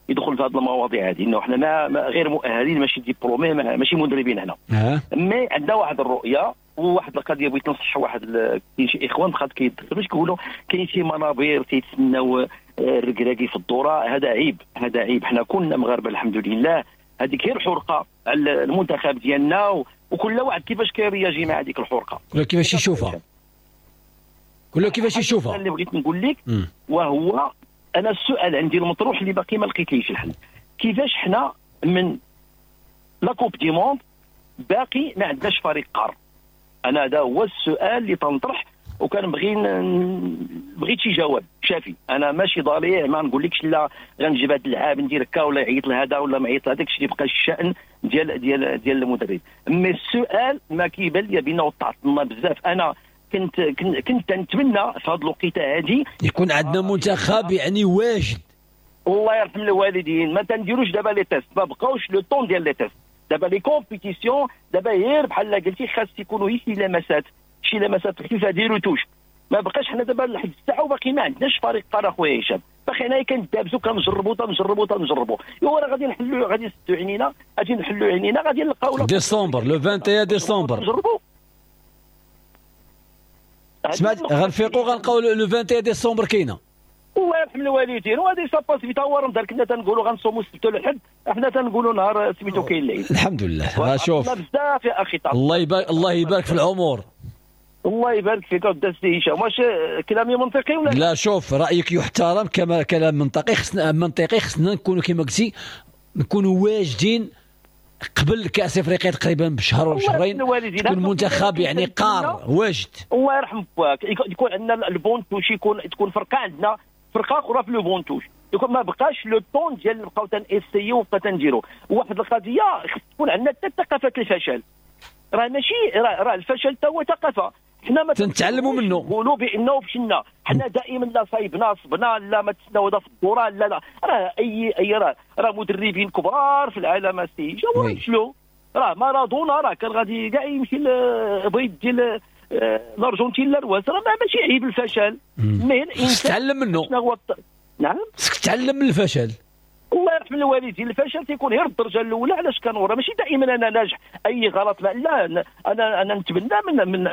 يدخل في هذه المواضيع هذه، انه حنا ما غير مؤهلين، ماشي diplômés، ماشي مدربين هنا. mais عندنا واحد الرؤية وواحد القضية. بغيت نصح واحد، كاين شي اخوان بقات كيدخلوا كيقولوا كاين شي منابر تيتسناو الركراكي في الدورة. هذا عيب، هذا عيب. حنا كنا مغاربة الحمد لله، هذيك غير حرقه على المنتخب ديالنا، وكل واحد كيفاش كيرياجي مع هذيك الحرقة، كل كيفاش يشوفها، كل كيفاش يشوفها. اللي بغيت نقول لك وهو انا السؤال عندي المطروح اللي باقي ما لقيتليش الحل، كيفاش حنا من la Coupe du monde باقي ما عندناش فريق قار؟ انا هذا هو السؤال اللي تنطرح، وكان بغيت شي جواب شافي. انا ماشي ضليع، ما نقولكش لا غنجيب هذا اللعاب ندير هكا ولا يعيط لهذا ولا ما يعيط لهذاك، الشيء يبقى الشان ديال ديال ديال المدرب. mais السؤال ما كيبان لي بانه تعطلنا بزاف. انا كنت كنت نتمنى في هذه الوقيته هذه يكون عندنا منتخب يعني واجد. الله يرحم الوالدين، ما تنديروش دابا les tests، ما بقاوش le temps ديال les tests دابا، les compétitions دابا غير بحال قلتي خاص يكونوا غير شي لمسات، شي لمسات خفيفة ديرو touche. ما بقاش حنا دابا لحد الساعة وباقي ما عندناش فريق قار اخويا هشام، باقي حنايا كندابزو كنجربوا تنجربوا تنجربوا. ايوا راه غادي نحلوا، غادي نسدوا عينينا، غادي نحلوا عينينا، غادي نلقاو décembre le 21 ديسمبر نجربوا. سمعت غنفيقوا غنلقاو le 21 ديسمبر كاينه. الله يرحم الوالدين، وهذه ça passe vite. هو رمضان كنا تنقولوا غنصوموا السبت والحد، حنا تنقولوا نهار سميتو كاين العيد. الحمد لله. شوف بزاف يا اخي، الله يبارك، الله يبارك في العمر. الله يبارك فيك اودي السي هشام. واش كلامي منطقي ولا لا؟ شوف رايك يحترم كما كلام منطقي. خصنا منطقي، خصنا نكونوا كما قلتي نكونوا واجدين قبل كاس افريقيا تقريبا بشهر ولا شهرين، يكون منتخب يعني قار واجد. الله يرحم باك، يكون عندنا ال banc de touche، يكون تكون فرقه عندنا، فرقه اخرى في le banc de touche، يكون ما بقاش le temps ديال نبقاو تن essayer وبقى تنديرو. واحد القضية خص تكون عندنا حتى ثقافة الفشل، راه ماشي راه الفشل حتى هو ثقافة، حنا ما تنتعلموا منه، نقولوا بانه فشلنا. حنا دائما لا صايبنا صبنا، لا ما تسناو هذا في الدورة، لا لا راه اي راه مدربين كبار في العالم السي جاو فشلوا. راه مارادونا راه كان غادي كاع يمشي بغيت ديال الارجنتين للرواس، راه ماشي عيب الفشل، mais الانسان تعلم منه. نعم خصك تتعلم من الفشل. الله يرحم الوالدين، الفشل تيكون غير الدرجة الاولى. علاش كنورا ماشي دائما انا ناجح اي غلط، لا انا نتبنى من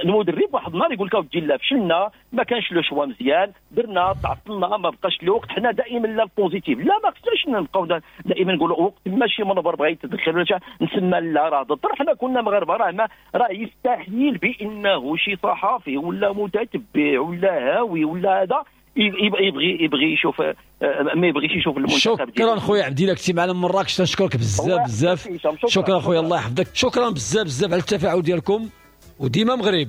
المدرب واحد النهار يقول لك اودي لا فشلنا، ما كانش le choix مزيان، درنا تعطلنا، ما بقاش الوقت. حنا دائما لا ال positif، لا ما خصناش نبقاو دائما نقولوا وقت ماشي منبر بغى يتدخل ولا نسمى، لا راه ضد. حنا كنا مغاربة، راه ما راه يستحيل بانه شي صحافي ولا متتبع ولا هاوي ولا هذا يبغي يشوف، ما يبغيش يشوف المنتخب. شكرا خويا عبد الله، كنتي معنا من مراكش، تنشكرك بزاف بزاف. شكرا خويا، الله يحفظك. شكرا بزاف بزاف على التفاعل ديالكم، وديما مغرب.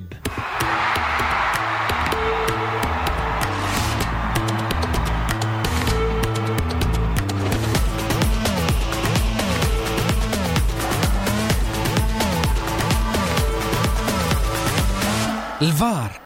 الفار.